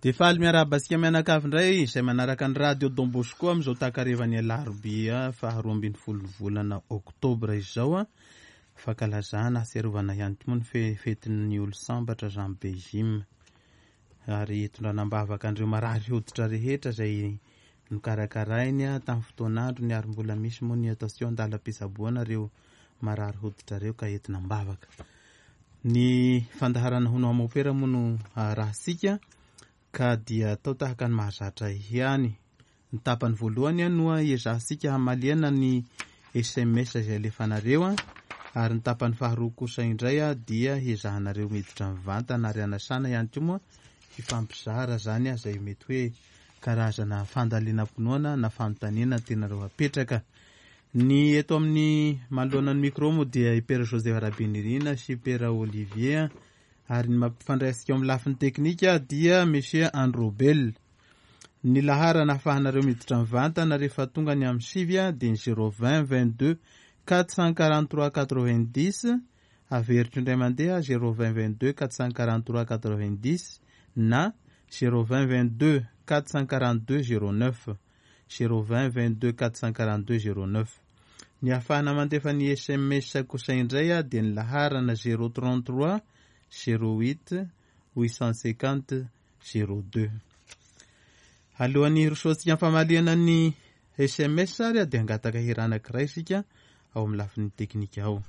Dia faly miarahaba antsika mianakavy indray izay manaraka ny Radio Don Bosco amin'izao takarivan'ny alarobia faharoa ambin'ny folo volana oktobra izao. Fankalazana ahatsiarovana ihany koa moa ny fetin'ny olon-sambatra Jean Bejim. Ary hitondrana am-bavaka an'ireo marary hoditra rehetra izay nokarakarainy tamin'ny fotoan'androny ary mbola misy moa ny attention an-dalam-pitsaboana ireo marary hoditra ireo ka entina am-bavaka. Ny fandaharana hono aho mopera moa no arahantsika ka dia atao tahaka ny mahazatra ihany. Ny tapany voalohany no iezahantsika hamaliana ny sms izay alefanareo ary ny tapany faharoa kosa indray dia hiezahanareo miditra mivantana ary anasana ihany koa moa hifampizara izany izay mety hoe karazana fandalinam-pinoana na fanontaniana tianareo hapetraka. Ny eto amin'ny manoloana ny micro moa dia i Père Joseph Rabenirina sy Père Olivier ary ny mampifandray antsika ao amin'ny lafiny teknika dia Monsieur Androbel. Ny laharana ahafahanareo miditra mivantana rehefa tonga ny amin'ny sivy dia ny 020 22 443 90, averiko indray mandeha 020 22 443 90 na 020 22 442 09. 020 22 442 09. Ny ahafahana mandefa ny sms kosa indray dia ny laharana 033 08 850 02. Alohan'ny hirosoantsika amin'ny famalihana ny sms ary dia hangataka hira anankiray isika ao amin'ny lafiny teknika ao.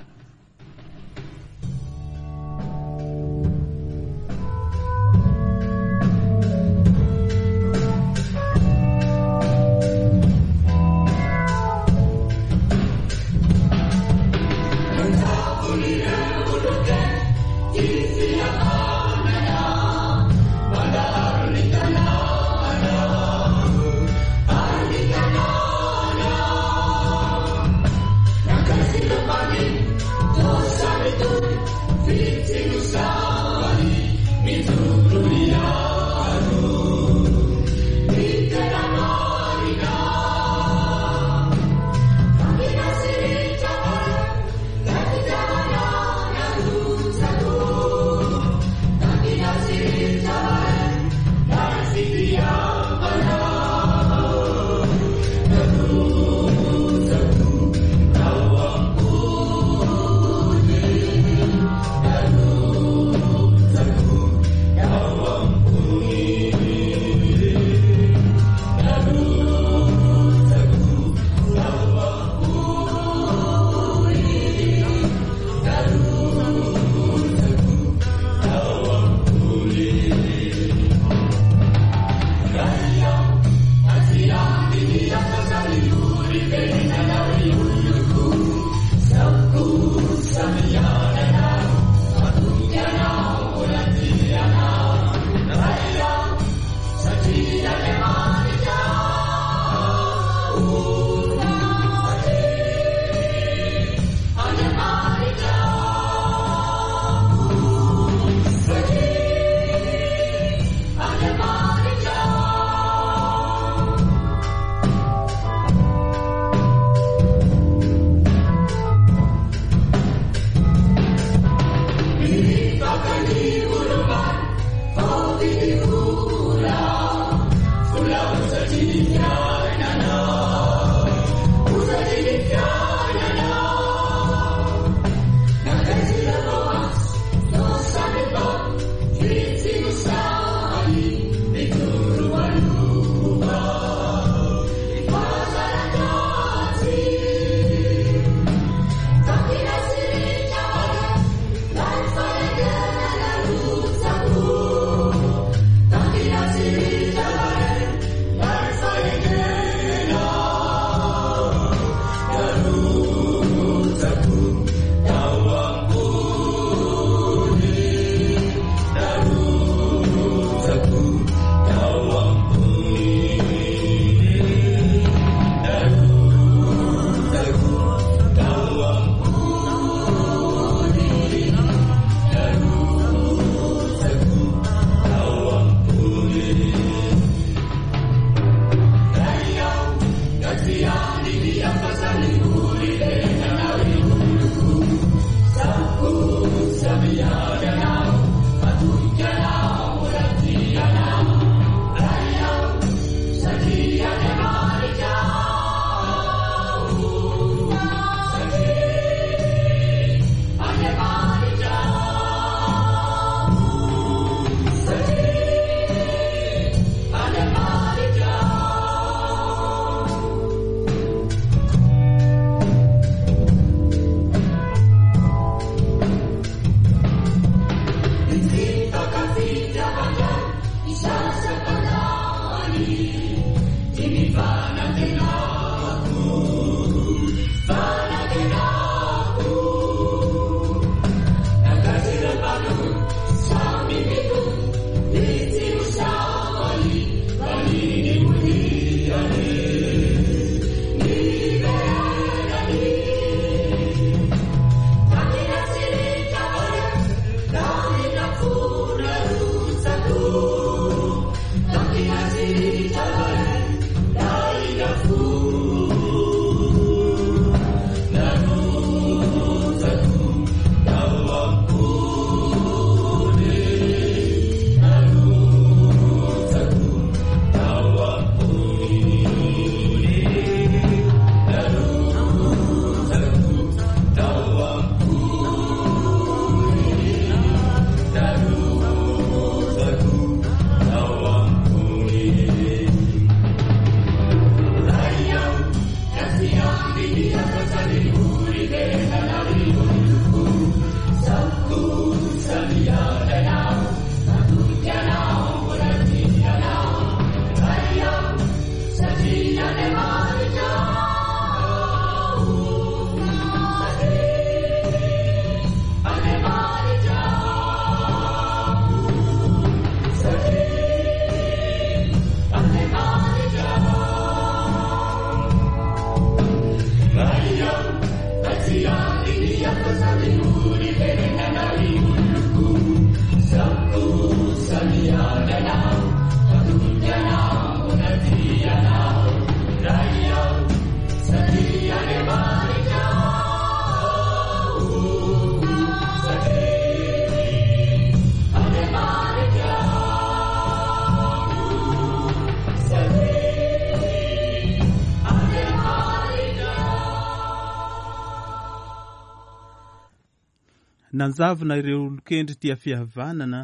Nanjavona ireo olon-kendry tia fihavanana.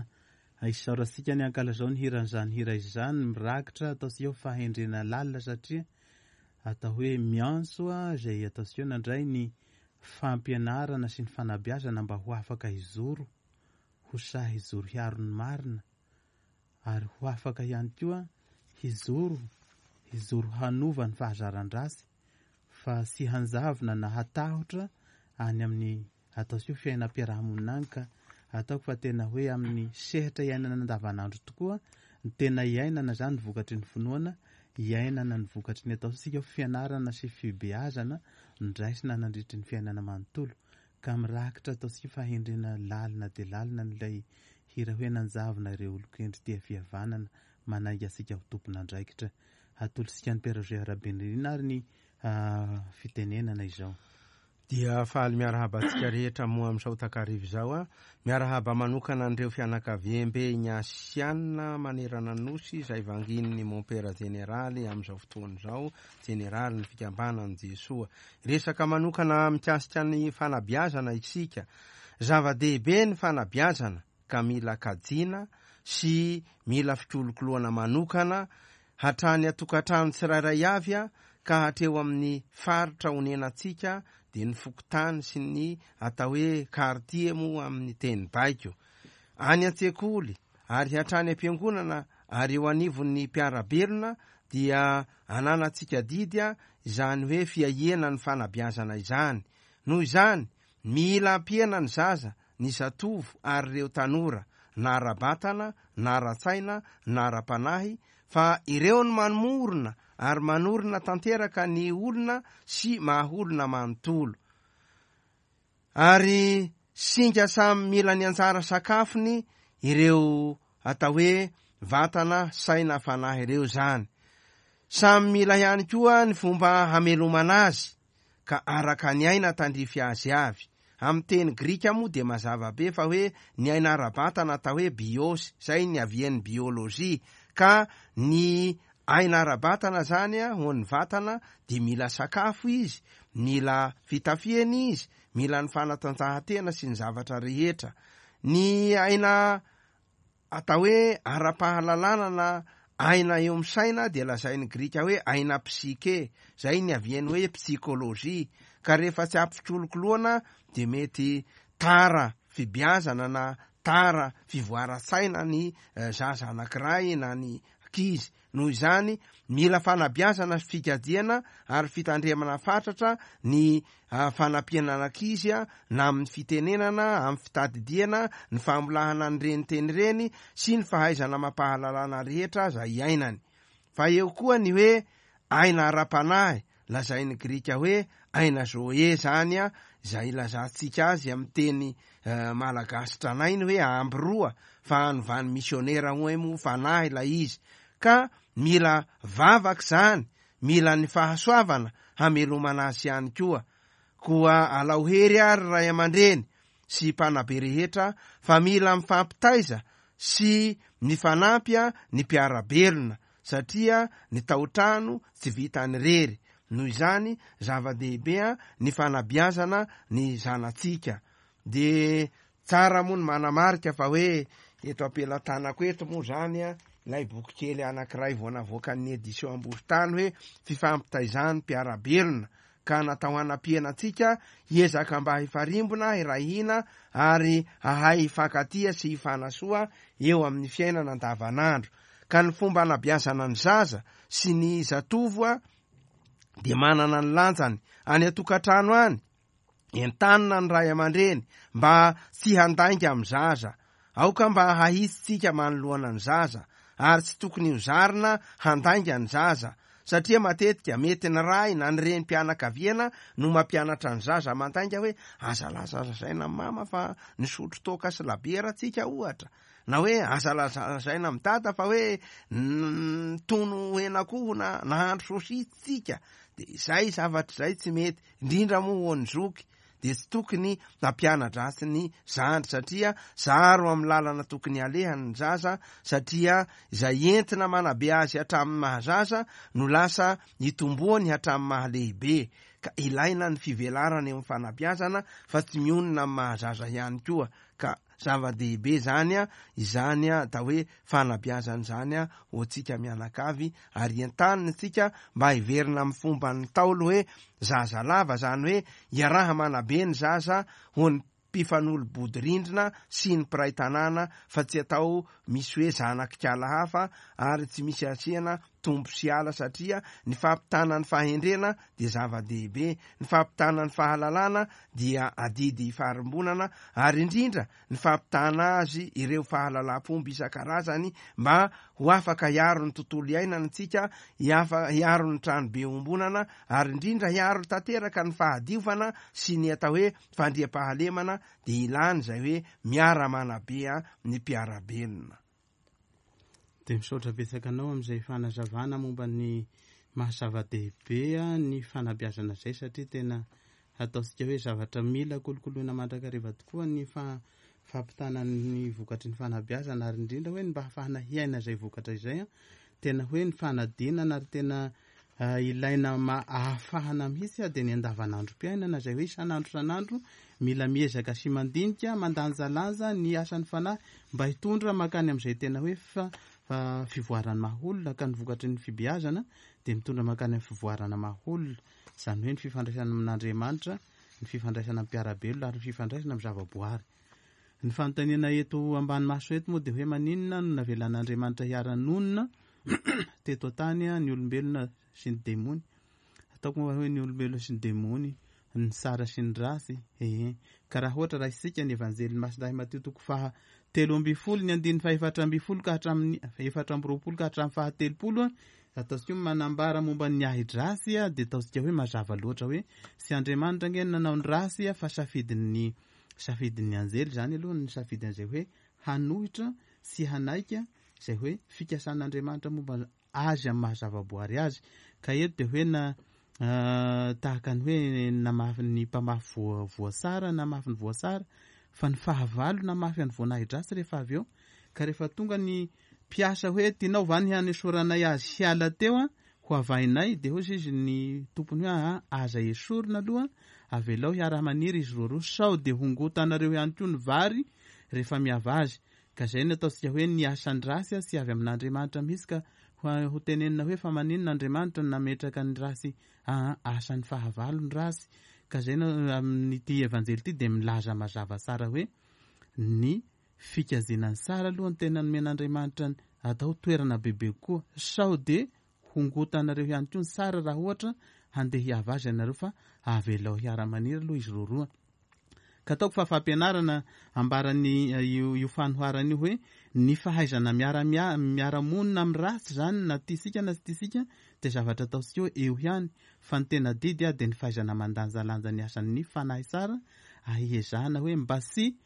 Isaorantsika ny ankalazao ny hiran'izany hira izany, mirakitra ataontsika hoe fahendrena lalina satria atao hoe miantso izay ataontsika hoe nandray ny fampianarana sy ny fanabeazana mba ho afaka hijoro, ho sahy hijoro hiaro ny marina ary ho afaka ihany koa hijoro, hijoro hanova ny fahazaran-dratsy fa tsy hanjavona na hatahotra any amin'ny ataontsika hoe fiainam-piarahamonina any ka ataoko fa tena hoe amin'ny sehatra iainana andavanandro tokoa ny tena iainana izany ny vokatry ny finoana, iainana ny vokatry ny ataontsika hoe fianarana sy fibeazana ndraisina nandritry ny fiainana manontolo ka mirakitra ataontsika fahendrena lalina dia lalina an'ilay hira hoe nanjavona ireo olon-kendry tia fihavanana manainga antsika ho tompon'andraikitra. Atolotsika an'i Père Roger Rabenirina ary ny fitenenana izao. Dia faly miarahaba antsika rehetra moa amin'izao takariva izao a. Miarahaba manokana an'ireo fianakaviambe Ignatiana manerana ny Nosy izay vangian'ny Mompera Jeneraly amin'izao fotoana izao, Jeneralin'ny Fikambanan'i Jesoa. Resaka manokana mikasika ny fanabeazana isika. Zava-dehibe ny fanabeazana ka mila kajiana sy mila fikolokoloana manokana hatrany an-tokantrano tsirairay avy ka hatreo amin'ny faritra onenantsika dia ny fokontany sy ny atao hoe quartier moa amin'ny teny baiko. Any an-tsekoly ary hatrany am-piangonana ary eo anivon'ny mpiara-belona dia ananantsika adidy izany hoe fiahiana ny fanabeazana izany. Noho izany, mila ampiana ny zaza ny zatovo ary ireo tanora, na ara-batana, na ara-tsaina, na ara-panahy, fa ireo no manomorona ary manorina tanteraka ny olona sy maha-olona manontolo. Ary singa samy mila ny anjara sakafony ireo atao hoe vatana, saina, fanahy ireo izany. Samy mila ihany koa ny fomba hamelomana azy, ka araka ny aina tandrify azy avy. Amin'ny teny grika moa dia mazava be fa hoe ny aina ara-batana atao hoe bios, izay niavian'ny biologie, ka ny aina ara-batana izany ho an'ny vatana dia mila sakafo izy, mila fitafiana izy, mila ny fanatanjahantena sy ny zavatra rehetra. Ny aina Atao hoe ara-pahalalana na aina eo amin'ny saina dia lazain'ny Grika hoe aina psyche, izay niavian'ny hoe psychologie, ka rehefa tsy ampy fikolokoloana dia mety tara fibeazana na tara fivoaran-tsaina ny zaza anankiray na ny ankizy. Noho izany, mila fanabeazana sy fikajiana ary fitandremana fatratra ny fanampiana an'ankizy na amin'ny fitenenana, amin'ny fitadidiana, ny famolahana an'ireny teny ireny sy ny fahaizana amam-pahalalana rehetra izay iainany. Fa eo koa ny hoe aina ara-panahy, lazain'ny Grika hoe aina zoe izany, izay ilazantsika azy amin'ny teny malagasy tranainy hoe amby roa, fa anovan'ny misionera hoe moa fanahy ilay izy. Ka mila vavaka izany, mila ny fahasoavana hamelomana azy ihany koa. Koa alao hery ary ray aman-dreny sy mpanabe rehetra fa mila mifampitaiza sy mifanampy ny mpiara-belona satria ny tao-trano tsy vitan'ny irery. Noho izany, zava-dehibe ny fanabeazana ny zanatsika. Dia tsara moa ny manamarika fa hoe eto am-pelatanako eto moa izany ilay bokikely anankiray vao navoakan'ny Edition Ambohitany hoe Fifampitaizan'ny mpiara-belona ka natao hanampiana antsika hiezaka mba hifarimbona, hiray hina ary hahay hifankatia sy hifanasoa eo amin'ny fiainana andavanandro. Ka ny fomba anabeazana ny zaza sy ny zatovo dia manana ny lanjany any an-tokantrano any. Entanina ny ray aman-dreny mba tsy handainga amin'ny zaza. Aoka mba hahitsitsika manoloana ny zaza ary tsy tokony ho zarina handainga ny zaza satria matetika mety ny ray na ny renim-pianakaviana no mampianatra ny zaza mandainga hoe aza lazalazaina amin'i mama fa nisotro toaka sy labiera tsika ohatra na hoe aza lazalazaina amin'i dada fa hoe nitono henakoho na nahandro sosisy tsika dia izay zavatra izay tsy mety indrindra moa ho an'ny zoky dia tsy tokony hampiana-dratsy ny zandry satria zaro amin'ny lalana tokony halehany ny zaza satria izay entina manabe azy hatramin'ny maha-zaza no lasa itomboany hatramin'ny maha-lehibe ka ilaina ny fivelarana eo amin'ny fanabeazana fa tsy mionona amin'ny maha-zaza ihany koa ka Zava-dehibe izany izany atao hoe fanabeazana izany ho antsika mianakavy ary entanina isika mba hiverina amin'ny fomban'ny Ntaolo hoe zaza lava, izany hoe iaraha-manabe ny zaza ho ny mpifanolo-bodirindrina sy ny mpiray tanàna fa tsy atao misy hoe zanak'ikala hafa ary tsy misy asiana tombo sy ala satria ny fampitana ny fahendrena dia zava-dehibe, ny fampitana ny fahalalana dia adidy ifarimbonana ary indrindra ny fampitana azy ireo fahalalam-pomba isan-karazany mba ho afaka hiaro ny tontolo iainana isika, hiaro ny tranobe iombonana ary indrindra hiaro tanteraka ny fahadiovana sy ny atao hoe fandriampahalemana dia ilana izay hoe miara-manabe ny mpiara-belona. Dia misaotra betsaka anao amin'izay fanazavana momba ny maha zava-dehibe ny fanabeazana izay satria tena ataontsika hoe zavatra mila kolokoloina mandrakariva tokoa ny fampitana ny vokatry ny fanabeazana ary indrindra hoe ny mba hahafahana hiaina izay vokatra izay tena hoe ny fanadinana ary tena Ilaina ahafahana mihitsy dia ny andavanandrom-piainana izay hoe isan'andro isan'andro mila miezaka sy mandinika, mandanjalanja ny asan'ny fanahy mba hitondra mankany amin'izay tena hoe fivoaran'ny maha olona ka ny vokatry ny fibeazana dia mitondra mankany amin'ny fivoarana maha olona, izany hoe ny fifandraisana amin'Andriamanitra, ny fifandraisana amin'ny mpiara-belona ary ny fifandraisana amin'ny zavaboary. Ny fanontaniana eto ambany maso eto moa dia hoe maninona no navelan'Andriamanitra hiara-nonina teto an-tany ny olombelona sy ny demony. Ataoko moa hoe ny olombelona sy ny demony, ny tsara sy ny ratsy. Ee. Ka raha ohatra raisintsika ny Evanjelin'i Masindahy Matio toko faha 13 ny andininy faha 14 ka hatramin'ny 24 ka hatramin'ny faha 30, ataontsika hoe manambara momba ny ahi-dratsy dia ataontsika hoe mazava loatra hoe tsy Andriamanitra ange no nanao ny ratsy fa safidin'ny safidin'ny anjely izany aloha ny safidy an'izay hoe hanohitra sy hanaika izay hoe fikasan'Andriamanitra momba azy amin'ny maha zavaboary azy. Ka eto dia hoe na tahaka ny hoe namafy ny mpamafy voa voasara namafy ny voasara fa ny fahavalo namafy an'ny voanahidratsy rehefa avy eo. Ka rehefa tonga ny mpiasa hoe tianao va ny hanesoranay azy hiala teo an, ho avahinay, dia hoy izy ny tompony hoe aa aza esorina aloha, avelao hiara-maniry izy roaroa sao dia hongotanareo ihany koa ny vary rehefa miava azy. Ka izay no ataontsika hoe ny asan-dratsy tsy avy amin'Andriamanitra mihitsy ka ho tenenina hoe fa maninona Andriamanitra no nametraka ny ratsy aa asan'ny fahavalo ny ratsy ka izay no amin'ity evanjely ity dia milaza mazava tsara hoe ny fikajiana ny tsara aloha no tena nomen'Andriamanitra ny. atao toerana bebe kokoa, sao dia hongotanareo ihany koa ny tsara raha ohatra handeha hiava azy ianareo fa avelao hiara-maniry aloha izy roaroa. Ka ataoko fa fampianarana ambaran'ny io io fanoharana io hoe ny fahaizana miara miara-monina amin'ny ratsy izany na tiantsika na tsy tiantsika dia zavatra ataontsika hoe eo ihany fa ny tena adidy dia ny fahaizana mandanjalanja ny asan'ny fanahy tsara ahihezahana hoe mba tsy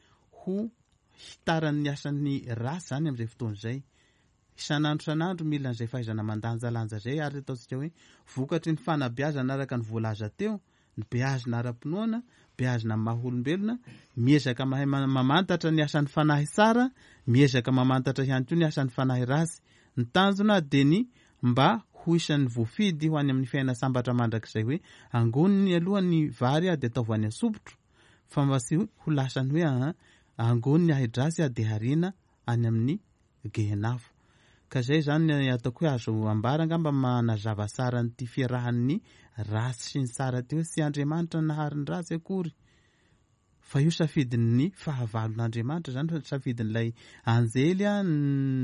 ho hitaran'ny asan'ny ratsy izany amin'izay fotoana izay. Isan'andro isan'andro mila an'izay fahaizana mandanjalanja izay ary ataontsika hoe vokatry ny fanabeazana araka ny voalaza teo, ny beazina ara-pinoana, beazina amin'ny maha olombelona, miezaka mahay mamantatra ny asan'ny fanahy tsara, miezaka mamantatra ihany koa ny asan'ny fanahy ratsy. Ny tanjona dia ny mba ho isan'ny voafidy ho any amin'ny fiainana sambatra mandrakizay hoe angoniny aloha ny vary dia ataovy any an-tsopitro fa mba tsy ho lasan'ny hoe aa angoniny ahi-dratsy dia hariana any amin'ny Gehenafo. Ka izay izany ny ataoko hoe azo ambara angamba manazava tsara an'ity fiarahan'ny ratsy sy ny tsara ity hoe tsy Andriamanitra nahary ny ratsy akory fa io safidin'ny fahavalon'Andriamanitra izany fa safidin'ilay anjely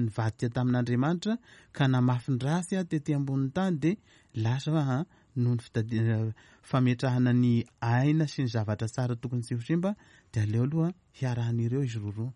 nivadika tamin'Andriamanitra ka namafy ny ratsy tety ambonin'ny tany dia lasa hoe noho ny fitadi- fametrahana ny aina sy ny zavatra tsara tokony tsy ho simba dia aleo aloha hiarahan'ireo izy roroa.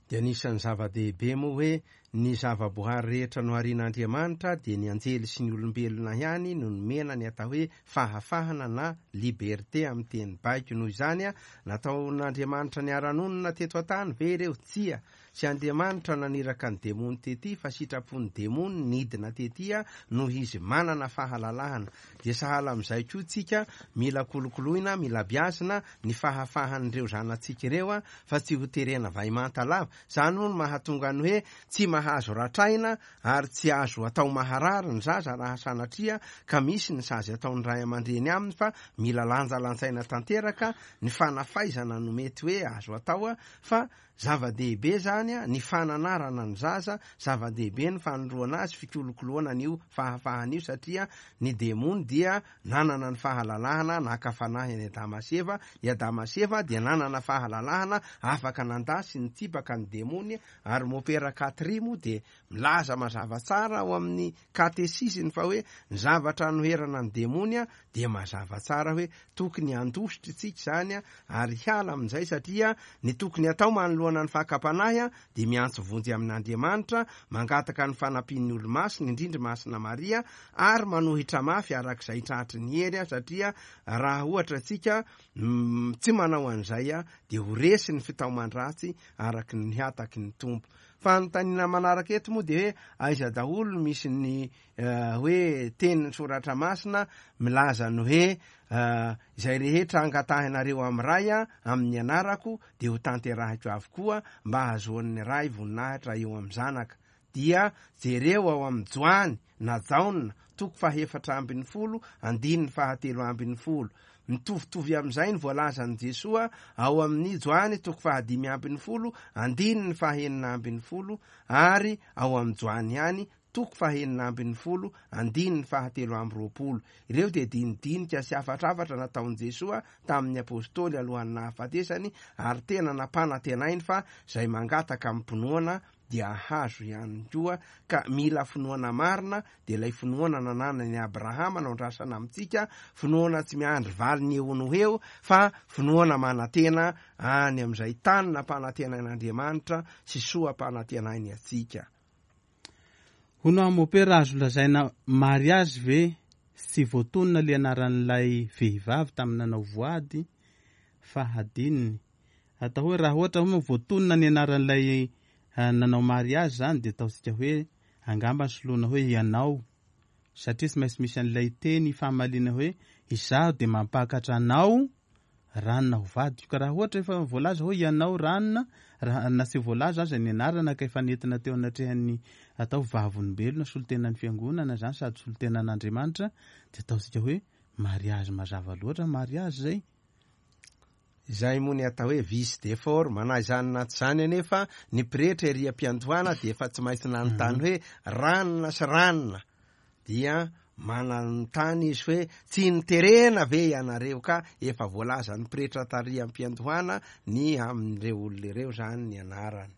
Dia anisan'ny zava-dehibe moa hoe ny zava-boahary rehetra noharian'Andriamanitra dia ny anjely sy ny olombelona ihany no nomena ny atao hoe fahafahana na liberté amin'ny teny baiko. Noho izany, nataon'Andriamanitra niara-nonina teto an-tany ve ireo? Tsia. Tsy Andriamanitra naniraka ny demony tety fa sitrapon'ny demony nidina tety noho izy manana fahalalahana. Dia sahala amin'izay koa tsika, mila kolokoloina, mila biazina ny fahafahan'ireo zanatsika ireo fa tsy ho terena vaimanta lava. Izany moa no mahatonga ny hoe tsy mahazo ratraina ary tsy azo atao maharary ny zaza raha sanatria ka misy ny sazy ataon'ny ray aman-dreny aminy fa mila lanjalanjaina tanteraka ny fanafaizana no mety hoe azo atao fa Zava-dehibe izany ny fananarana ny zaza, zava-dehibe ny fanondroana azy, fikolokoloana an'io fahafahana io satria ny demony dia nanana ny fahalalahana naka fanahy an'i Adama sy Eva, i Adama sy Eva dia nanana fahalalahana afaka nandà sy nitsipaka ny demony ary Mopera Katri moa dia milaza mazava tsara ao amin'ny katesiziny fa hoe ny zavatra anoherana ny demony dia mazava tsara hoe tokony handositra isika izany ary hiala amin'izay satria ny tokony hatao manoloana ny fakam-panahy dia miantso vonjy amin'Andriamanitra, mangataka ny fanampian'ny olo-masina, indrindra Masina Maria, ary manohitra mafy araka izay tratry ny hery satria raha ohatra isika tsy manao an'izay dia ho resy ny fitaoman-dratsy araka ny hataky ny Tompo. Fanontaniana manaraka eto moa dia hoe aiza daholo no misy ny hoe tenin'ny soratra masina milaza ny hoe izay rehetra angatahinareo amin'ny Ray amin'ny anarako dia ho tanterahiko avokoa mba hahazoan'ny Ray voninahitra eo amin'ny Zanaka. Dia jereo ao amin'ny Joany na Jaona toko faha-14 andininy faha-13. Mitovitovy amin'izay ny voalazan'i Jesoa ao amin'ny Joany toko faha-15 andininy faha-16 ary ao amin'ny Joany ihany toko faha-16 andininy faha-23. Ireo dia dinidinika sy hafatrafatra nataon'i Jesoa tamin'ny Apostoly alohan'ny nahafatesany ary tena nampanantenainy fa izay mangataka amim-pinoana dia hahazo ihany koa ka mila finoana marina dia ilay finoana nananan'i Abrahama no andrasana amintsika, finoana tsy miandry valiny eo no ho eo fa finoana manantena any amin'izay tany nampanantenain'Andriamanitra sy soa ampanantenainy antsika. Hono aho mopera azo lazaina mariage ve tsy voatonona le anaran'ilay vehivavy tamin'ny nanao voady fa hadinony Atao hoe raha ohatra hoe voatonona ny anaran'ilay nanao mariage zany dia ataontsika hoe angamba soloina hoe ianao satria tsy maintsy misy an'ilay teny ifamaliana hoe izaho dia mampakatra anao ranona ho vadiko. Ka raha ohatra efa voalaza hoe ianao ranona, raha na tsy voalaza aza ny anarana ka efa nentina teo anatrehan'ny atao vavolombelona solontenan'ny fiangonana zany sady solontenan'Andriamanitra dia ataontsika hoe mariage mazava loatra mariage zay. Izay moa ny atao hoe vice de forme. Na izany na tsy izany anefa, ny pretra ery am-piandohana dia efa tsy maintsy nanontany hoe ranona sy ranona. Dia mananontany izy hoe tsy noterena ve ianareo ka efa voalazan'ny pretra tary am-piandohana ny amin'ireo olona ireo izany ny anarany.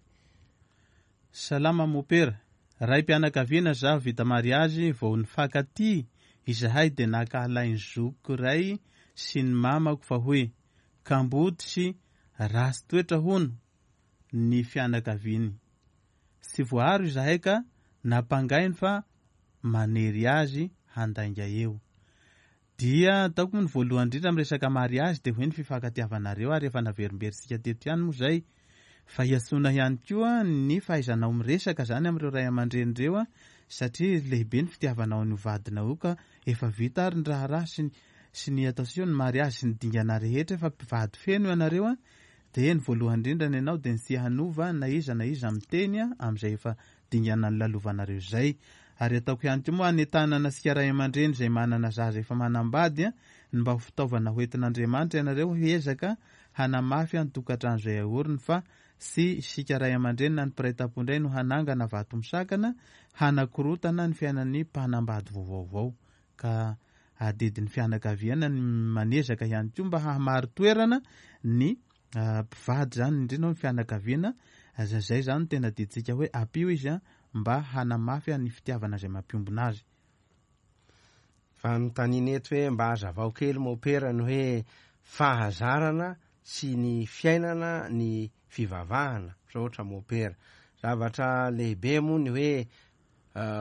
Salama mopera. Raim-pianakaviana zaho vita mariazy vao nifankatia izahay dia nankahalain'ny zokiko iray sy ny mamako fa hoe kamboty sy ratsy toetra hono ny fianakaviany. Tsy voaaro izahay ka nampangainy fa manery azy handainga eo. Dia ataoko moa ny voalohany indrindra amin'ny resaka mariazy dia hoe ny fifankatiavanareo ary efa naverimberintsika teto ihany moa izay fa iantsoana ihany koa ny fahaizanao miresaka izany amin'ireo ray aman-dreny ireo satria lehibe ny fitiavanao an'io vadinao io ka efa vita ary ny raharaha sy ny sy ny ataontsika hoe ny mariazy sy ny dingana rehetra efa mpivady feno ianareo dia ny voalohany indrindra ny anao dia ny tsy hanova na iza na iza miteny amin'izay efa dingana nilalovanareo izay. Ary ataoko ihany koa moa hanentanana antsika ray aman-dreny izay manana zaza efa manambady ny mba ho fitaovana ho entin'Andriamanitra ianareo hiezaka hanamafy ny tokantrano izay aoriny fa tsy isika ray aman-dreny na ny mpiray tampo indray no hanangana vato misakana hanakorotana ny fiainan'ny mpanambady vaovaovao ka adidin'ny fianakaviana ny manezaka ihany koa mba hahamari-toerana ny mpivady izany indrindra ny fianakaviana zay zany no tena adidintsika hoe ampio izy mba hanamafy ny fitiavana izay mampiombona azy. Fanontaniana eto hoe mba hazavao kely mopera ny hoe fahazarana sy ny fiainana ny fivavahana, misaotra mopera. Zavatra lehibe moa ny hoe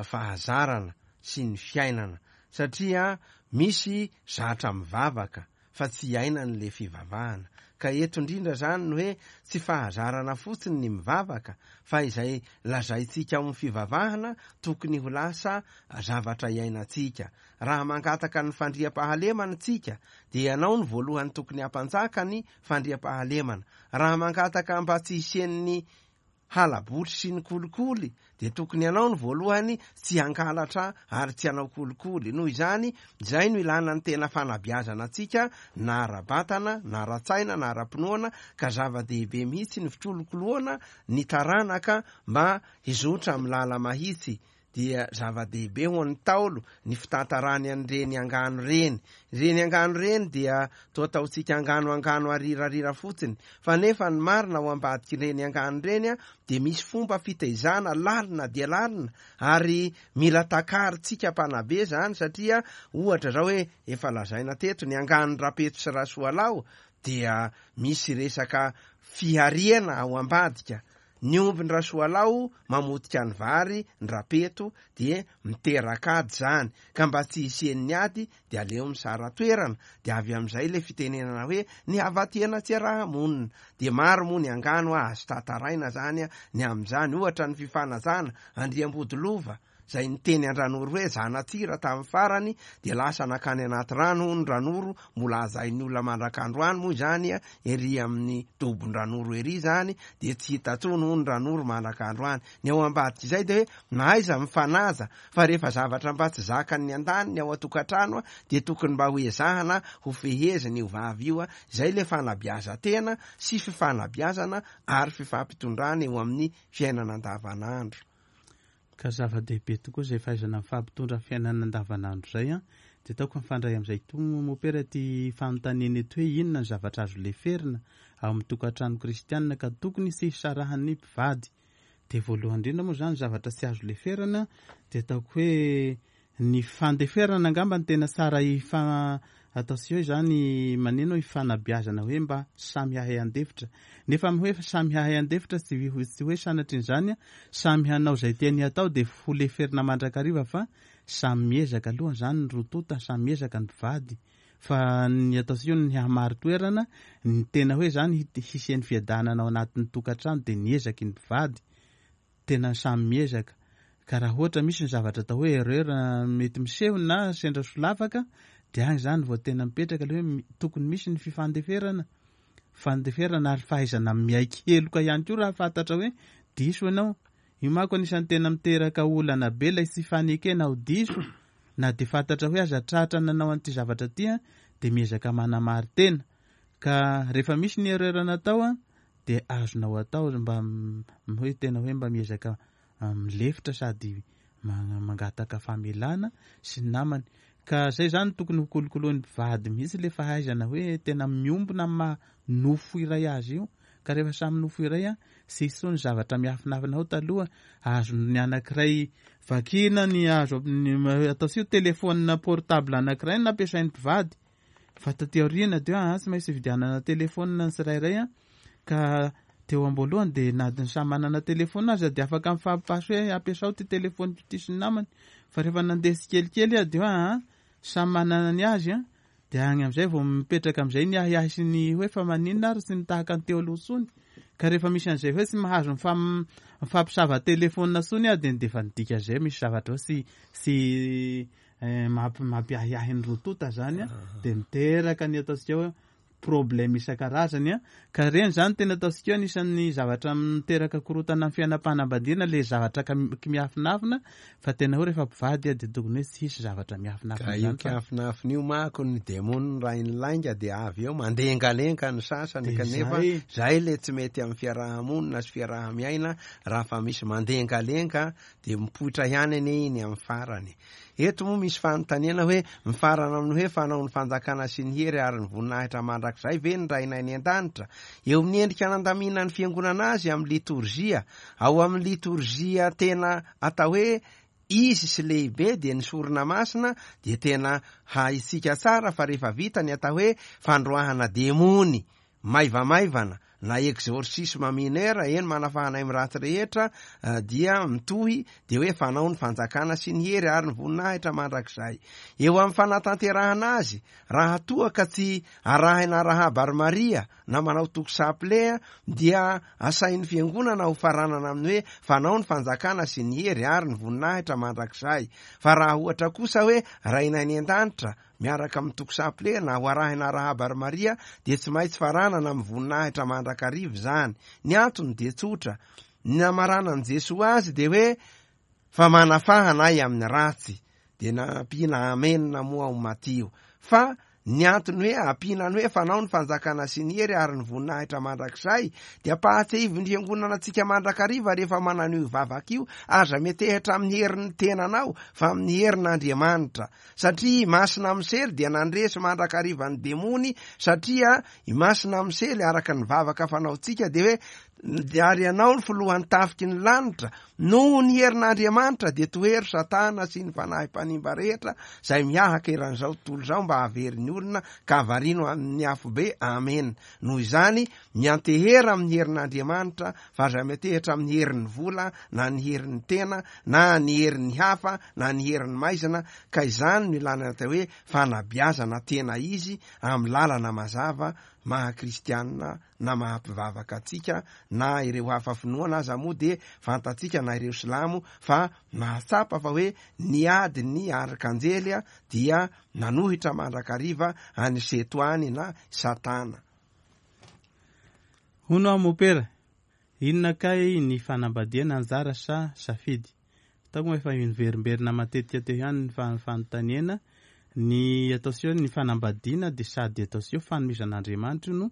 fahazarana sy ny fiainana satria misy zatra mivavaka fa tsy iainany le fivavahana. Ka eto indrindra zany ny hoe tsy fahazarana fotsiny ny mivavaka fa izay lazaintsika ao amin'ny fivavahana tokony ho lasa zavatra iainantsika. Raha mangataka ny fandriampahalemana tsika dia ianao no voalohany tokony hampanjaka ny fandriampahalemana. Raha mangataka mba tsy hisian'ny hala-botry sy ny kolikoly dia tokony ianao no voalohany tsy hangalatra ary tsy hanao kolikoly. Noho izany, izay no ilana ny tena fanabeazana antsika na ara-batana na ara-tsaina na ara-pinoana ka zava-dehibe mihitsy ny fikolokoloana ny taranaka mba hizotra amin'ny lala-mahitsy. Dia zava-dehibe ho an'ny Ntaolo ny fitantarany an'ireny angano ireny. Ireny angano ireny dia toa ataontsika angano angano arirarira fotsiny, fa nefa ny marina ao ambadik'ireny angano ireny dia misy fomba fitaizana lalina dia lalina ary mila takarintsika mpanabe izany satria ohatra izao hoe efa lazaina teto ny anganon-dRapeto sy Rasoalao dia misy resaka fihariana ao ambadika. Ny ombin-dRasoalao mamotika ny vary ny Rapeto dia miteraka ady izany, ka mba tsy hisian'ny ady dia aleo misara-toerana, dia avy amin'izay ilay fitenenana hoe ny hava-tiana tsy araha-monina. Dia maro moa ny angano azo tantaraina izany ny amin'izany, ohatra ny fifanajana, Andriambodilova, izay niteny an-dRanoro hoe zana-tsira tamin'ny farany dia lasa nankany anaty rano hono Ranoro, mbola hajain'ny olona mandrak'androany moa izany ery amin'ny dobon-dRanoro ery izany dia tsy hita intsony hono Ranoro mandrak'androany. Ny ao ambadik'izay dia hoe na aiza mifanaja fa rehefa zavatra mba tsy zakan'ny andaniny ao an-tokantrano dia tokony mba ho ezahana ho fehezina io vavy io, izay ilay fanabeazan-tena sy fifanabeazana ary fifampitondrana eo amin'ny fiainana andavanandro. Ka zava-dehibe tokoa izay fahaizana mifampitondra fiainana andavanandro izay an! Dia ataoko mifandray amin'izay koa moa mopera ity fanontaniana ity hoe inona ny zavatra azo leferina ao amin'ny tokantrano kristianina ka tokony tsy hisarahan'ny mpivady? Dia voalohany indrindra moa izany zavatra tsy azo leferana dia ataoko hoe Ny fandeferana angamba no tena tsara hifa atao sy hoe izany maneno hifanabeazana hoe mba samy hahay handefitra. Nefa amin'ny hoe samy hahay handefitra tsy tsy hoe sanatrian'izany samy hanao izay tiany hatao dia ho leferina mandrakariva fa samy miezaka aloha izany ny roa tonta, samy miezaka ny mpivady fa ny ataontsika hoe ny hahamari-toerana, ny tena hoe izany hisian'ny fiadanana ao anatin'ny tokantrano dia ny ezaky ny mpivady. Tena samy miezaka. Ka raha ohatra misy ny zavatra atao hoe erreur mety miseho na sendra solafaka dia agny zany vao tena mipetraka le hoe tokony misy ny fifandeferana, fandeferana ary fahaizana miaiky heloka ihany koa raha fantatra hoe diso ianao. Io manko anisan'ny tena miteraka olana be ilay tsy fanekena ho diso na dia fantatra hoe aza tratra nanao an'ity zavatra ity dia miezaka manamari-tena. Ka rehefa misy ny erreur natao dia azonao atao mba hoe tena hoe mba miezaka milefitra sady mangataka famelana sy ny namany. Ka zay zany tokony ho kolokoloin'ny mpivady mihitsy le fahaizana hoe tena miombona amin'ny maha nofo iray azy io. Ka rehefa samy nofo iray an, tsy hisy intsony zavatra miafinafina ao taloha, azon'ny anankiray vakiana ny azo ataontsika hoe téléphone portable anankiray no nampiasain'ny mpivady. Fa taty aoriana dia hoe tsy maintsy hividianana téléphone ny tsirairay an, ka teo am-boalohany dia na dia samy manana téléphone aza dia afaka mifampipasy hoe ampiasao ity téléphone ity sy ny namany. Fa rehefa nandeha tsikelikely dia hoe samy manana ny azy an, dia agny amin'izay vao mipetraka amin'izay ny ahiahy sy ny hoe fa maninona ary tsy mitahaka ny teo aloha intsony. Ka rehefa misy an'izay hoe tsy mahazo mifampisava téléphone intsony aho dia dia efa nidika izay misy zavatra hoe tsy tsy mampiahiahy ny roa tonta zany an, dia miteraka ny ataontsika hoe problème isan-karazany an, ka ireny zany tena ataontsika hoe anisan'ny zavatra miteraka korontana amin'ny fiainam-panambadiana le zavatra miafinafina fa tena hoe rehefa mpivady dia tokony hoe tsy hisy zavatra miafinafina Ka io zany fa kiafinafina io manko ny demony rain'ny lainga dia avy eo mandengalenga ny sasany Dia kanefa zay. zay le tsy mety amin'ny fiaraha-monina sy fiaraha-miaina raha fa misy mandengalenga dia mipoitra ihany anie iny amin'ny farany. Eto moa misy fanontaniana hoe, mifarana amin'ny hoe fanao ny fanjakana sy ny hery ary ny voninahitra mandrakizay ve ny Rainay any an-danitra? Eo amin'ny endrika nandaminan'ny Fiangonana azy amin'ny litorzia, ao amin'ny litorzia tena atao hoe izy sy lehibe dia ny sorona masina dia tena haintsika tsara fa rehefa vita ny atao hoe fandroahana demony maivamaivana na exorcisme mineur, eny manafahanay amin'ny ratsy rehetra, dia mitohy dia hoe fanao ny fanjakana sy ny hery ary ny voninahitra mandrakizay. Eo amin'ny fanatanterahana azy, raha toa ka tsy arahina arahaba ry Maria na manao toko chapelet dia asain'ny fiangonana ho faranana amin'ny hoe fanao ny fanjakana sy ny hery ary ny voninahitra mandrakizay. Fa raha ohatra kosa hoe Rainay any an-danitra, miaraka amin'ny toko saple na ho arahina arahaba ry Maria dia tsy maintsy faranana amin'ny voninahitra mandrakariva izany. Ny antony dia tsotra, ny namaranan'i Jesoa azy dia hoe fa manafahana ahy amin'ny ratsy, dia nampiana amena moa ao Matio. Fa ny antony hoe ampiana ny hoe fanao ny fanjakana sy ny hery ary ny voninahitra mandrakizay dia ampahatsiahivin'ny fiangonana antsika mandrakariva rehefa manano io vavaka io, aza metehitra amin'ny herin'ny tenanao fa amin'ny herin'Andriamanitra. Satria i Masina Misely dia nandresy mandrakariva ny demony, satria i Masina Misely araka ny vavaka fanaontsika dia hoe, ary ianao ny filohan'ny tafiky ny lanitra, noho ny herin'Andriamanitra dia tohero Satana sy ny fanahy mpanimba rehetra izay mihahaka eran'izao tontolo izao mba hahavery ny olona ka havarino amin'ny afobe. Amena. Noho izany, miantehera amin'ny herin'Andriamanitra fa aza miantehitra amin'ny herin'ny vola na ny herin'ny tena na ny herin'ny hafa na ny herin'ny maizina ka izany no ilana ny atao hoe fanabeazana tena izy amin'ny lalana mazava maha kristianina na maha mpivavaka antsika na ireo hafa finoana aza moa dia fantatsika na ireo silamo fa mahatsapa fa hoe ny ady ny arkanjely dia nanohitra mandrakariva an'i setoany na satana. Hono aho mopera, inona kay ny fanambadiana anjara sa safidy? Ataoko moa efa miverimberina matetika teo ihany ny fanontaniana, ny ataontsika hoe ny fanambadiana dia sady ataontsika hoe fanomezan'Andriamanitra io no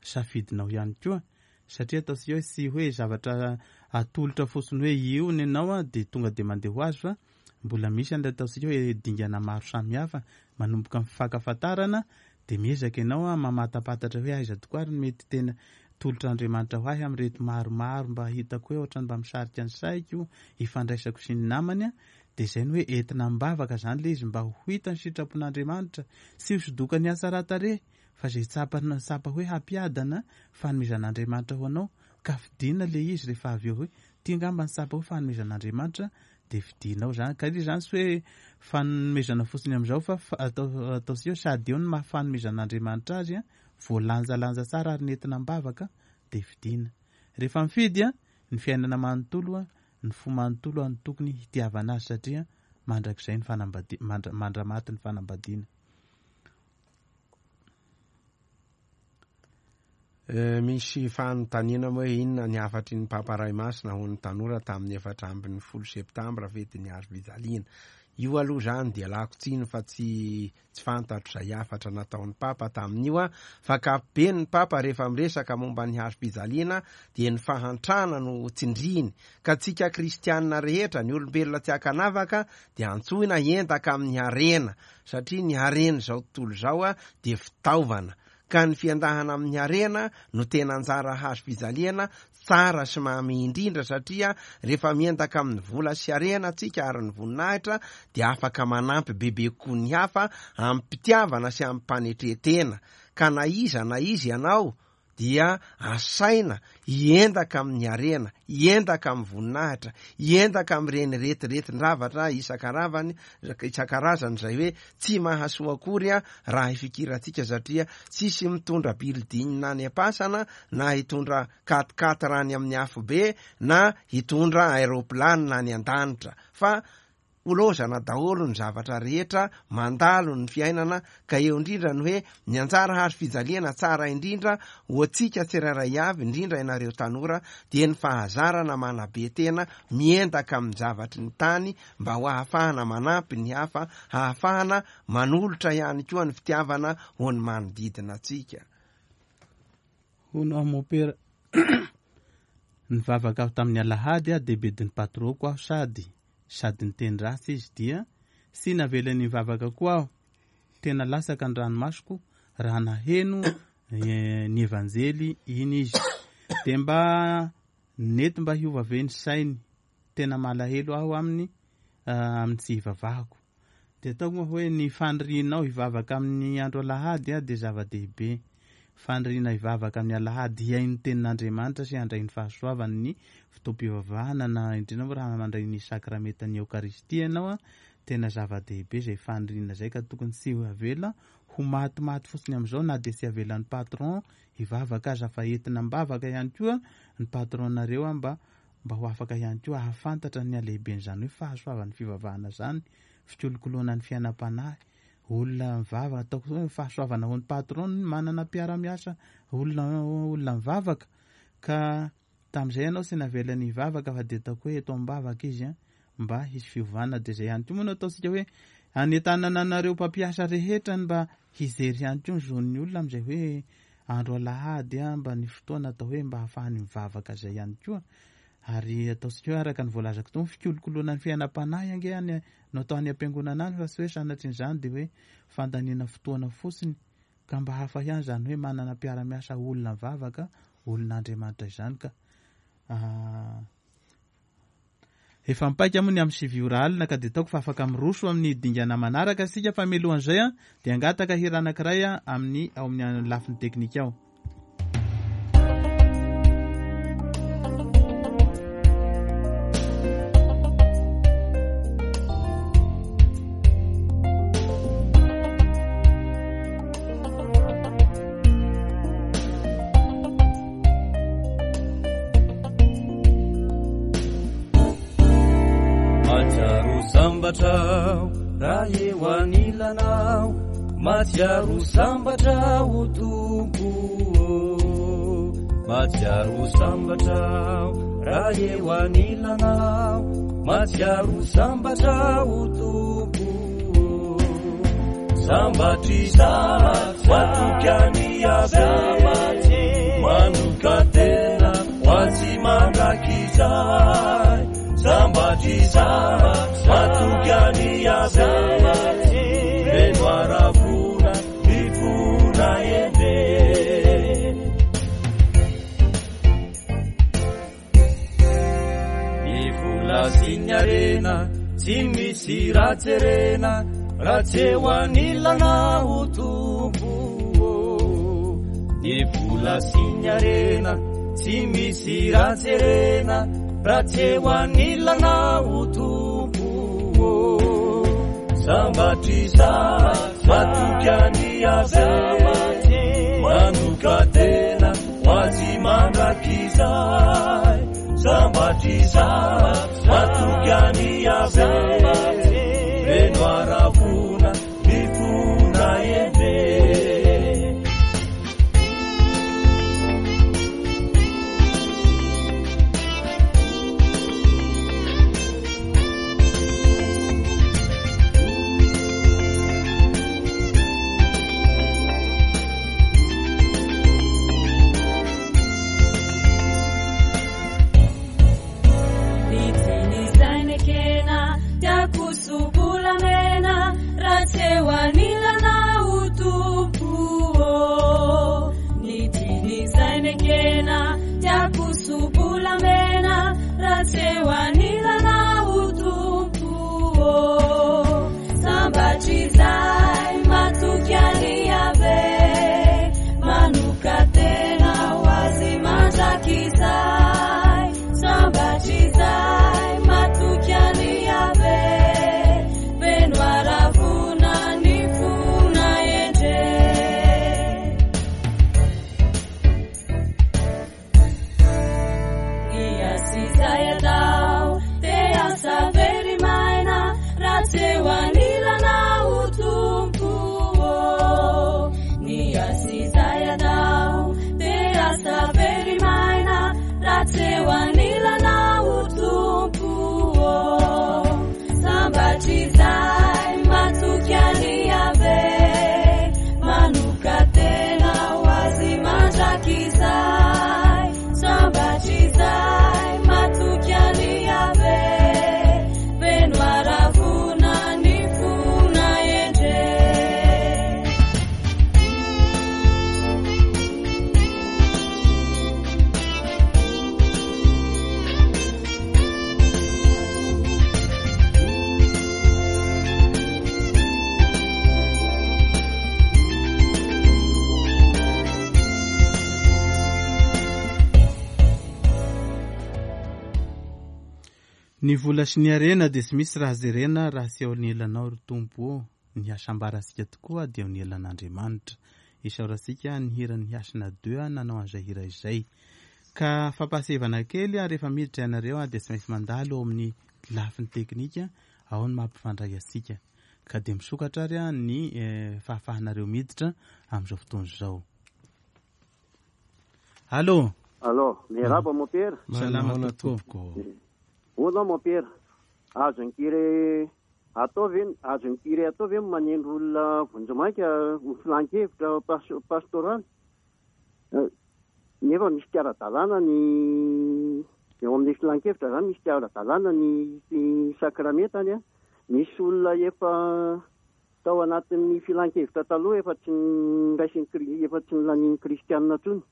safidinao ihany koa, satria ataontsika hoe tsy hoe zavatra atolotra fotsiny hoe io ny anao dia tonga dia mandeha ho azy fa mbola misy an'ilay ataontsika hoe dingana maro samihafa manomboka amin'ny fifankafantarana dia miezaka ianao mamatapatatra hoe aiza tokoa ary ny mety tena tolotr'Andriamanitra ho ahy amin'ireto maromaro mba hitako hoe ohatran'ny mba misarika ny saiko, ifandraisako sy ny namany, dia izay no hoe entina am-bavaka izany ilay izy mba ho hita ny sitrapon'Andriamanitra, tsy ho sodokan'ny hatsaran-tarehy fa izay tsapa tsapa hoe hampiadana fanomezan'Andriamanitra ho anao ka fidina ilay izy rehefa avy eo hoe ity angamba ny tsapa hoe fanomezan'Andriamanitra dia fidinao izany. Ka ilay izany tsy hoe fanomezana fotsiny amin'izao fa atao ataontsika hoe sady eo ny maha fanomezan'Andriamanitra azy an, voalanjalanja tsara ary nentina am-bavaka dia fidina. Rehefa mifidy an, ny fiainana manontolo an, ny fo manontolo an no tokony hitiavana azy satria mandrakizay ny fanambadiana, mandra-maty ny fanambadiana. Misy fanontaniana moa hoe inona ny hafatry ny Papa Ray Masina ho an'ny tanora tamin'ny 14 septambra fetin'ny hazo fijaliana. Io aloha izany dia lako tsiny fa tsy tsy fantatro izay hafatra nataon'ny Papa tamin'io an, fa ankapobeny ny Papa rehefa miresaka momba ny hazo fijaliana dia ny fahantrana no tsindriany, ka tsika kristianina rehetra, ny olombelona tsy ankanavaka dia antsoina hiendaka amin'ny harena, satria ny haren'izao tontolo izao dia fitaovana. Ka ny fiendahana amin'ny harena no tena anjara hazo fijaliana tsara sy mamy indrindra, satria rehefa miendaka amin'ny vola sy harena tsika ary ny voninahitra, dia afaka manampy bebe kokoa ny hafa amim-pitiavana sy amim-panetren-tena. Ka na iza na iza ianao dia asaina hiendaka amin'ny harena, hiendaka amin'ny voninahitra, hiendaka amin'ireny retiretin-javatra isan-karavany, isan-karazany izay hoe tsy mahasoa akory raha ifikirantsika, satria tsisy mitondra building any am-pasana na hitondra quat-quatre any amin'ny afobe na hitondra aeroplane any an-danitra, fa Holozana daholo ny zavatra rehetra mandalo ny fiainana, ka eo indrindra ny hoe ny anjara hazo fijaliana tsara indrindra ho antsika tsirairay avy, indrindra ianareo tanora, dia ny fahazarana manabe tena miendaka amin'ny zavatry ny tany mba ho ahafahana manampy ny hafa, hahafahana manolotra ihany koa ny fitiavana ho ny manodidina antsika. Hono aho mompera nivavaka aho tamin'ny alahady aho dia bedin'ny patron-ko aho sady sady niteny ratsy izy dia tsy navelany nivavaka koa aho, tena latsaka ny ranomasoko raha naheno ny evanjely iny izy dia mba nety mba hiova ve ny sainy, tena malahelo aho aminy amin'ny tsy hivavahako. Dia ataoko moa hoe ny fanirianao hivavaka amin'ny andro alahady dia zava-dehibe. Faniriana hivavaka amin'ny alahady hihaino ny tenin'Andriamanitra sy handray ny fahasoavany ny fotoam-pivavahana na indrindra moa raha mandray ny sakramentan'ny Eokaristia ianao, tena zava-dehibe izay faniriana izay ka tokony tsy ho avela ho matimaty fotsiny amin'izao na dia tsy avelan'ny patron hivavaka aza fa entina am-bavaka ihany koa ny patron-nareo mba mba ho afaka ihany koa hahafantatra ny halehiben'izany hoe fahasoavan'ny fivavahana izany, fikolokoloana ny fiainam-panahy, olona mivavaka, ataoko hoe fahasoavana ho an'ny patron ny manana mpiara-miasa olona olona mivavaka, ka tamin'izay ianao tsy navelany hivavaka fa dia ataoko hoe eto am-bavaka izy an, mba hisy fiovana, dia izay ihany koa moa no ataontsika hoe anentanana anareo mpampiasa rehetra ny mba hijery ihany koa ny zon'ny olona amin'izay hoe andro alahady an, mba ny fotoana atao hoe mba hahafahany mivavaka izay ihany koa, ary ataontsika hoe araka ny voalazako teo, fikolokoloana ny fiainam-panahy ange any no atao any am-piangonana any fa tsy hoe sanatrian'izany dia hoe fandaniana fotoana fotsiny, ka mba hafa ihany izany hoe manana mpiara-miasa olona mivavaka, olon'Andriamanitra izany ka. Efa mipaika moa ny amin'ny 9 ora alina ka dia ataoko fa afaka miroso amin'ny dingana manaraka isika fa mialohan'izay dia hangataka hira anankiray amin'ny ao amin'ny lafiny teknika ao. Mahatsiaro sambatra aho raha eo anilanao, mahatsiaro sambatra aho Tompo ô. Mahatsiaro sambatra aho raha eo anilanao, mahatsiaro sambatra aho Tompo ô. Sambatra izaho matoky an'i Yaveh, manokan-tena ho azy mandrakizay. Sambatra izaho matoky an'i Yaveh, feno haravoana ny fona endre. Ny vola sy ny harena tsy misy raha jerena raha tsy eo anilanao Tompo ô. Ny vola sy ny harena tsy misy raha jerena raha tsy eo anilanao Tompo ô. Sambatra izaho matoky an'i Yaveh, manokan-tena ho azy mandrakizay. Sambatra izaho matoky an'i Yaveh, feno haravoana ny fonay endre. Ny vola sy ny harena dia tsy misy raha jerena raha tsy eo anilanao ry Tompo ô. Ny hasambarantsika tokoa dia eo anilan'Andriamanitra. Isaorantsika ny hiran'ny Hasina Deux nanao an'izay hira izay. Ka fampahasevana kely rehefa miditra ianareo dia tsy maintsy mandalo eo amin'ny lafiny teknika, ao ny mampifandray antsika. Ka dia misokatra ary ny fahafahanareo miditra amin'izao fotoana izao. Allô. Allô, miarahaba mompera. Salama tompoko. Hono aho mompera, azon'ny curé atao ve, azon'ny curé atao ve ny manendry olona vonjimaika ho filan-kevitra pastoraly? Nefa misy tsy ara-dalàna ny eo amin'ny filan-kevitra zany, misy tsy ara-dalàna ny sakramentany, misy olona efa Tao anatin'ny filan-kevitra taloha efa tsy noraisin'ny efa tsy nolanian'ny kristianina intsony.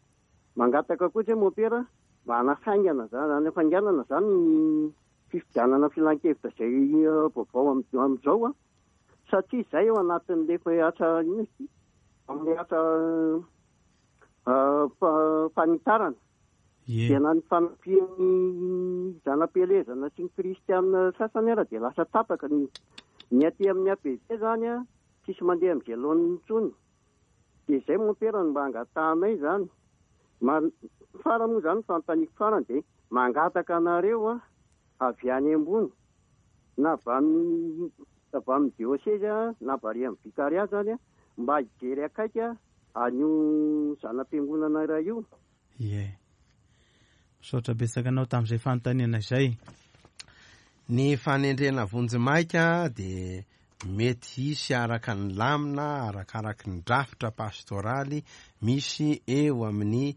Mangataka koa izay mompera mba hanafaingana izany hanafainganana izany ny fifidianana filan-kevitra izay vaovao amin'izao satria izay ao anatin'ilay asa inona izy ity? Amin'ilay asa fanitarana. Ie. Dia na ny fanampian'ny zana-pielezana sy ny kristiana sasany ara dia lasa tapaka ny ny aty amin'ny APG zany a, tsisy mandeha amin'izay laoniny intsony. Dia izay mompera no mba angatahanay izany. Ma- farany moa izany ny fanontaniako farany dia mangataka anareo a, avy any ambony na avy amin'ny avy amin'ny diosezy a, na avy ary amin'ny vicariat zany a, mba hijery akaiky an'io zana-piangonana iray io. Ie. Misaotra betsaka anao tamin'izay fanontaniana izay. Ny fanendrena vonjimaika dia mety hisy araka ny lamina, arakaraky ny drafitra pastoraly misy eo amin'ny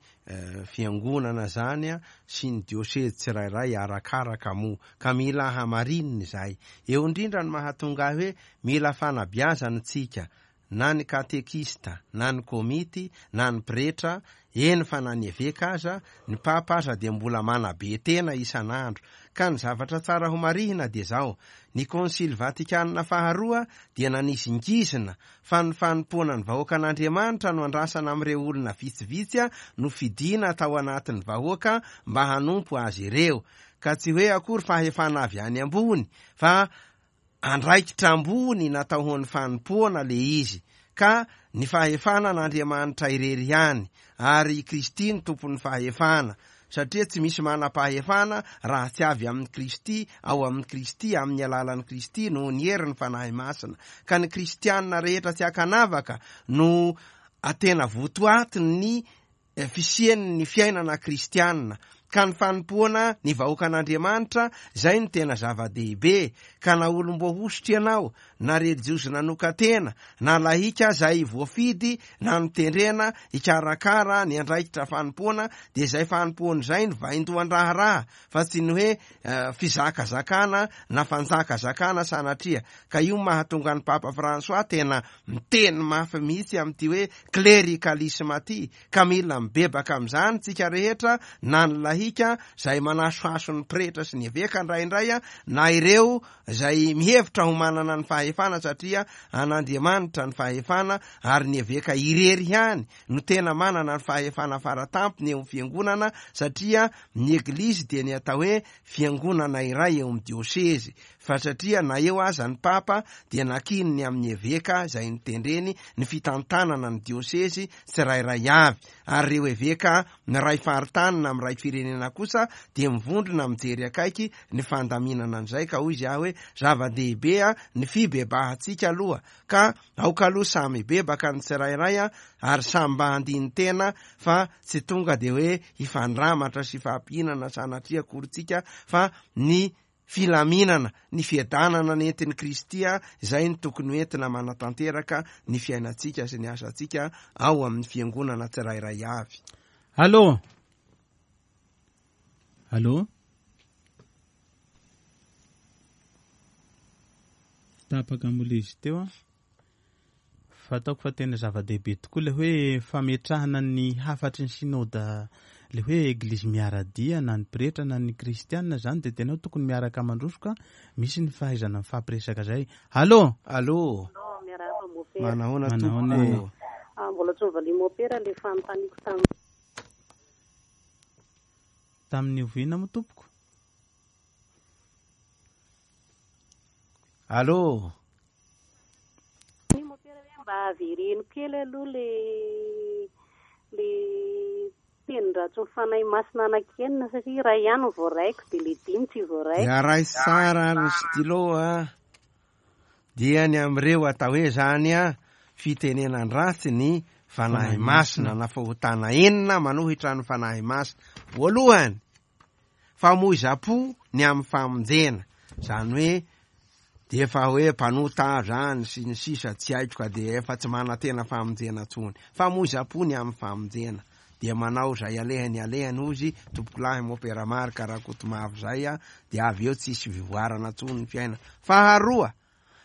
fiangonana izany sy ny diosezy tsirairay arakaraka moa ka mila hamarinina izay. Eo indrindra no mahatonga ahy hoe mila fanabeazana isika na ny katekista, na ny komity, na ny pretra, eny fa na ny eveka aza, ny papa aza dia mbola manabe tena isan'andro. Ka ny zavatra tsara ho marihina dia izao, ny Konsily Vatikanina faharoa dia nanizingizina fa ny fanompoana ny vahoakan'Andriamanitra no andrasana amin'ireo olona vitsivitsy nofidina tao anatin'ny vahoaka mba hanompo azy ireo. Ka tsy hoe akory fahefana avy any ambony fa Andraikitra ambony natao ho an'ny fanompoana le izy, ka ny fahefana an'Andriamanitra irery ihany, ary i Kristy no tompon'ny fahefana, satria tsy misy manam-pahefana raha tsy avy amin'i Kristy, ao amin'i Kristy, amin'ny alalan'i Kristy, noho ny herin'ny Fanahy Masina. Ka ny kristiana rehetra tsy ankanavaka no tena votoatin'ny fisian'ny fiainana kristiana, ka ny fanompoana ny vahoakan'Andriamanitra izay no tena zava-dehibe, ka na olom-boahosotra ianao, na relijiozy nanokan-tena, na lahika izay voafidy na notendrena hikarakara ny andraikitra fanompoana, dia izay fanompoana izay no vaindohan-draharaha, fa tsy ny hoe fizakazakana na fanjakazakana sanatria, ka io mahatonga an'i Papa François tena miteny mafy mihitsy amin'ity hoe klerikalisma ity, ka mila mibebaka amin'izany tsika rehetra na ny lahika izay manasohaso ny pretra sy ny eveka indraindray na ireo izay mihevitra ho manana ny fahefana satria an'Andriamanitra ny fahefana ary ny eveka irery ihany no tena manana ny fahefana faratampony eo amin'ny fiangonana satria ny eglizy dia ny atao hoe fiangonana iray eo amin'ny diosezy fa satria na eo aza ny papa dia nakininy amin'ny eveka izay notendreny ny fitantanana ny diosezy tsirairay avy ary ireo eveka miray faritany na miray firenena kosa dia mivondrona mijery akaiky ny fandaminana an'izay ka hoy izy aho hoe zava-dehibe ny fibebahantsika aloha ka aoka aloha samy hibebaka ny tsirairay ary samy mba handini-tena fa tsy tonga dia hoe hifandramatra sy hifampihinana sanatria akory tsika fa ny filaminana, ny fiadanana nentin'i Kristy izay no tokony ho entina manatanteraka ny fiainantsika sy ny asantsika ao amin'ny fiangonana tsirairay avy. Allô? Allô? Tapaka moa ilay izy teo an. Fa ataoko fa tena zava-dehibe tokoa ilay hoe fametrahana ny hafatry ny synoda ilay hoe eglizy miara-dia na ny pretra na ny kristiana izany dia tena hoe tokony miaraka mandroso ka misy ny fahaizana mifampiresaka izay. Allô? Allô? Miarahaba mopera. Manahoana Manahoana tompoko? Ah, mbola tsy novalian'i mopera ilay fanontaniako tamin'ny Tamin'ny oviana moa tompoko? Allô? Ny mopera hoe mba avereno kely aloha le le tenin-dratsin'ny Fanahy Masina anankienina satria iray ihany no voaraiko dia le dimy tsy voaraiko. Dia raiso tsara ny stylo a. Dia ny amin'ireo atao hoe zany a, fitenenan-dratsy ny Fanahy Masina na fahotana enina manohitra ny Fanahy Masina. Voalohany, famoizam-po ny amin'ny famonjena, zany hoe dia efa hoe mpanota aho zany sy ny sisa tsy haiko ka dia efa tsy manantena famonjena intsony. Famoizam-po ny amin'ny famonjena. Dia manao izay alehany alehany hozy tompokolahy Mopera Marc Rakotomavo zay a, dia avy eo tsisy fivoarana intsony ny fiainana. Faharoa,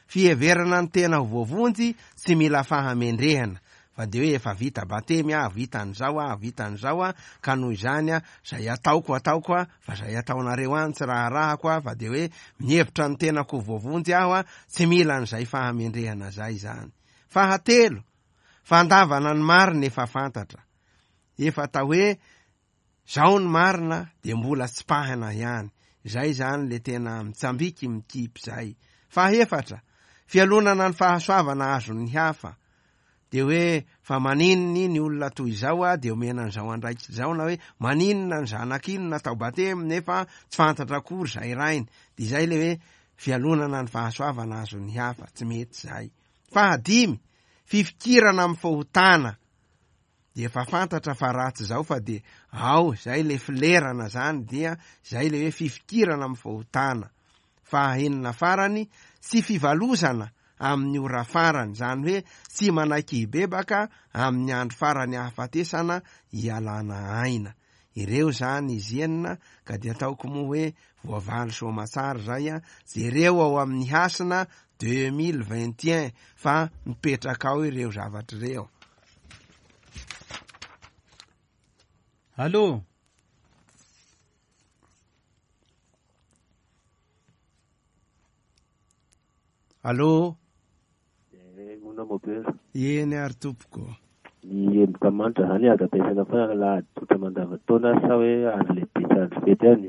fiheverana ny tena ho voavonjy tsy mila fahamendrehana fa dia hoe efa vita batemy aho, vita an'izao aho, vita an'izao aho, ka noho izany aho, izay ataoko ataoko aho, fa izay ataonareo any tsy raharahako aho, fa dia hoe mihevitra ny tenako ho voavonjy aho, tsy mila an'izay fahamendrehana izay izany. Fahatelo, fandavana ny marina efa fantatra. Efa atao hoe zao ny marina dia mbola tsipahina ihany. Izay izany le tena mitsambiky mikipy izay. Fahefatra, fialonana ny fahasoavana azon'ny hafa. Dia hoe fa maninona iny olona toy izao a dia omena an'izao andraikitra izao na hoe maninona ny zanak'iny natao batemy nefa tsy fantatra akory izay rainy. Dia izay le hoe fialonana ny fahasoavana azon'ny hafa. Tsy mety izay. Fahadimy, fifikirana amin'ny fahotana. Dia efa fantatra fa ratsy izao fa dia ao izay le filerana zany dia izay le hoe fifikirana amin'ny fahotana. Fahaenina farany, tsy fivalozana amin'ny ora farany, izany hoe tsy manaiky hibebaka amin'ny andro farany ahafatesana hialana aina. Ireo izany izy enina ka dia ataoko moa hoe voavaly soamatsara izay a, jereo ao amin'ny hasina 2021 fa mipetraka ao ireo zavatra ireo. Allô? Allô? Mona mopera. Eny ary tompoko. Ny emboka manitra zany azo ampiasaina foana alahady tsotra mandavantaona sa hoe andro lehibe sy andro fety ihany?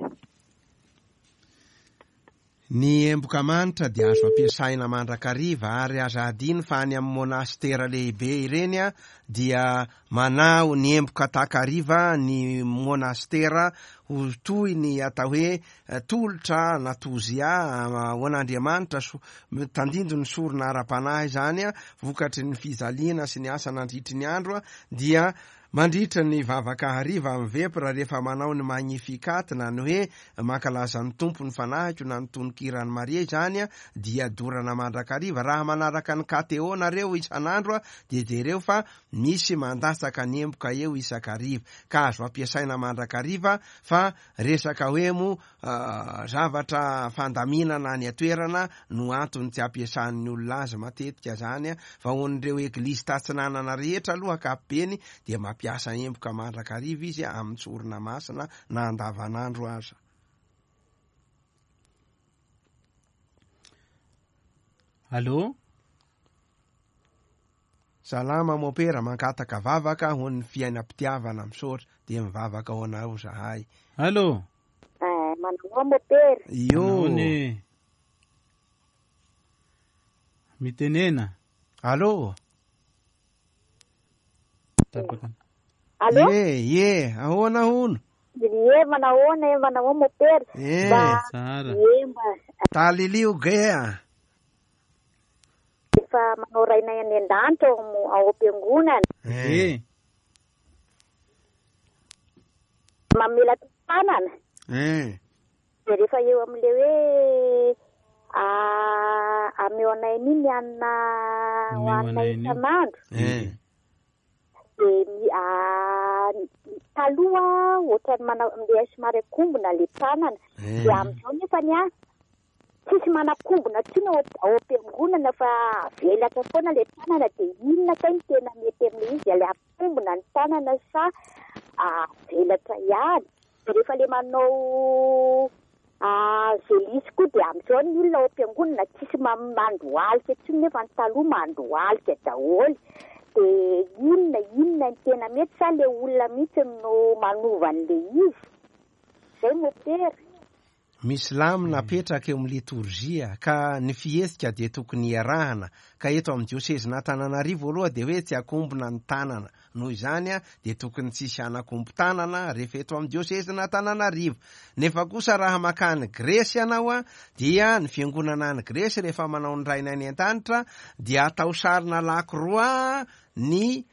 Ny emboka manitra dia azo ampiasaina mandrakariva ary aza adino fa any amin'ny monastera lehibe ireny dia manao ny emboka takariva ny monastera ho toy ny atao hoe tolotra na tozia ho an'Andriamanitra, tandindon'ny sorona ara-panahy izany vokatry ny fijaliana sy ny asa nandritry ny andro dia Mandritra ny vavaka hariva amin'ny vepra rehefa manao ny Magnificat na ny hoe mankalaza ny Tompo ny fanahiko na ny tononkiran'i Maria izany dia dorana mandrakariva. Raha manaraka ny KTO nareo isan'andro dia jereo fa misy mandatsaka ny emboka eo isak'hariva ka azo ampiasaina mandrakariva fa resaka hoe moa Zavatra fandaminana any an-toerana no antony tsy ampiasan'ny olona azy matetika zany fa ho an'ireo eglizy tatsinanana rehetra aloha ankapobeny dia mampiasa emboka mandrakariva izy amin'ny sorona masina na andavanandro aza. Allô? Salama Mopera, mangataka vavaka ho ny fiainam-pitiavana, misaotra, dia mivavaka ho anareo zahay. Allô. Eh, manahoa Mopera. Io. Manahoana e. Mitenena. Allô. Tapaka. Allô. Ye, ye, ahoana hono? Ye, manahoana e, manahoa Mopera. Eh. Mba, Tsara. ye, mba Talilio gea. Efa manao rainay any an-danitra ao am- ao am-piangonana. Eh. Mamela tanana. Eh. Dia rehefa eo amin'ilay hoe ah, ameo anay an'iny ny hanina Omeo hohanina anay an'io. isan'andro. Eh. Dia ny ah, taloha ohatran'ny manao le somary akombona le tanana. Eh. Dia amin'izao nefany ah, tsisy manakombona intsony ao am-piangonana fa avelatra foana le tanana. Dia inona kay no tena mety amin'ilay izy? Le akombona ny tanana sa avelatra ihany? Dia rehefa le manao zelisy koa dia amin'izao ny olona ao am-piangonana tsisy mandohalika intsony nefa ny taloha mandohalika daholo. Dia inona inona ny tena mety sa le olona mihitsy no manova an'ilay izy? Zay mopera. Misy lamina apetraka eo amin'ny litorzia ka ny fihetsika dia tokony hiarahana, ka eto amin'ny diosezin'Antananarivo aloha dia hoe tsy akombona ny tanana, noho izany dia tokony tsy hisy hanakombo tanana rehefa eto amin'ny diosezin'Antananarivo. Nefa kosa raha makany Gresy ianao dia ny fiangonana any Gresy rehefa manao ny Rainay any an-danitra dia atao sarina lakroa ny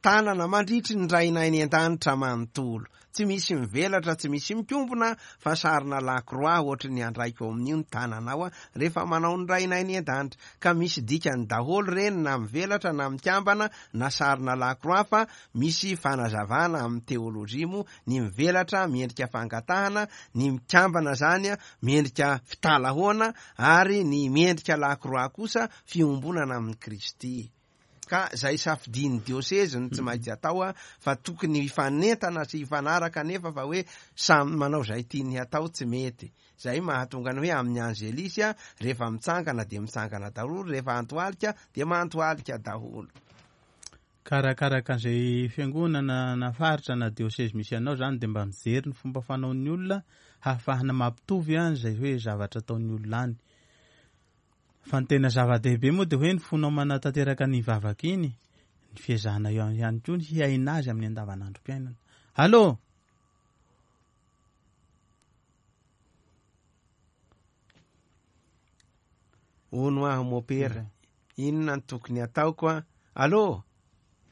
tanana mandritry ny Rainay any an-danitra manontolo. Tsy misy mivelatra, tsy misy mikombona fa sarina lakroa ohatry ny andraiko ao amin'io ny tananao rehefa manao ny Rainay any an-danitra. Ka misy dikany daholo ireny na mivelatra na mikambana na sarina lakroa fa misy fanazavana amin'ny teolojia moa ny mivelatra miendrika fangatahana, ny mikambana izany miendrika fitalahoana ary ny miendrika lakroa kosa fiombonana amin'i Kristy. Ka izay safidian'ny diosezy no tsy maintsy atao fa tokony hifanentana sy hifanaraka anefa fa hoe samy manao izay tiany hatao tsy mety. Izay mahatonga ny hoe amin'ny Angelis rehefa mitsangana dia mitsangana daholo, rehefa antoalika dia mantoalika daholo. Ka arakaraka an'izay fiangonana na faritra na diosezy misy anao izany dia mba mijery ny fomba fanaon'ny olona hahafahana mampitovy an'izay hoe zavatra ataon'ny olona any. Fa ny tena zava-dehibe moa dia hoe ny fonao manatanteraka ny vavaka iny, ny fiezahana eo ihany koa ny hiaina azy amin'ny andavanandrom-piainana. Allô! Hono aho mopera, inona no tokony ataoko an? Allô!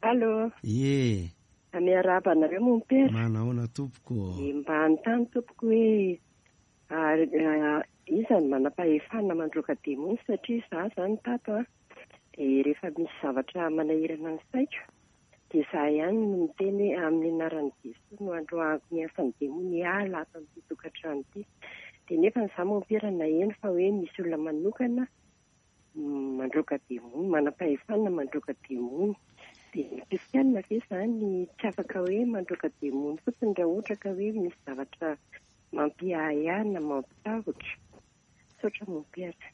Allô! Ie! Miarahaba anareo mompera. Manahoana tompoko ô? Mba hanontany tompoko hoe Ary iza no manam-pahefana mandroaka demony satria izaho izany tato an, dia rehefa misy zavatra manahirana ny saiko dia izaho ihany no miteny hoe amin'ny anaran'i Jesoa no androahako ny asan'ny demony hiala ato amin'ity tokantrano ity. Dia nefa izaho mompera naheno fa hoe misy olona manokana mandroaka demony, manam-pahefana mandroaka demony. Dia ny kristiana ve izany tsy afaka hoe mandroaka demony fotsiny raha ohatra ka hoe misy zavatra mampiahiahy na mampitahotra? Misaotra mompera.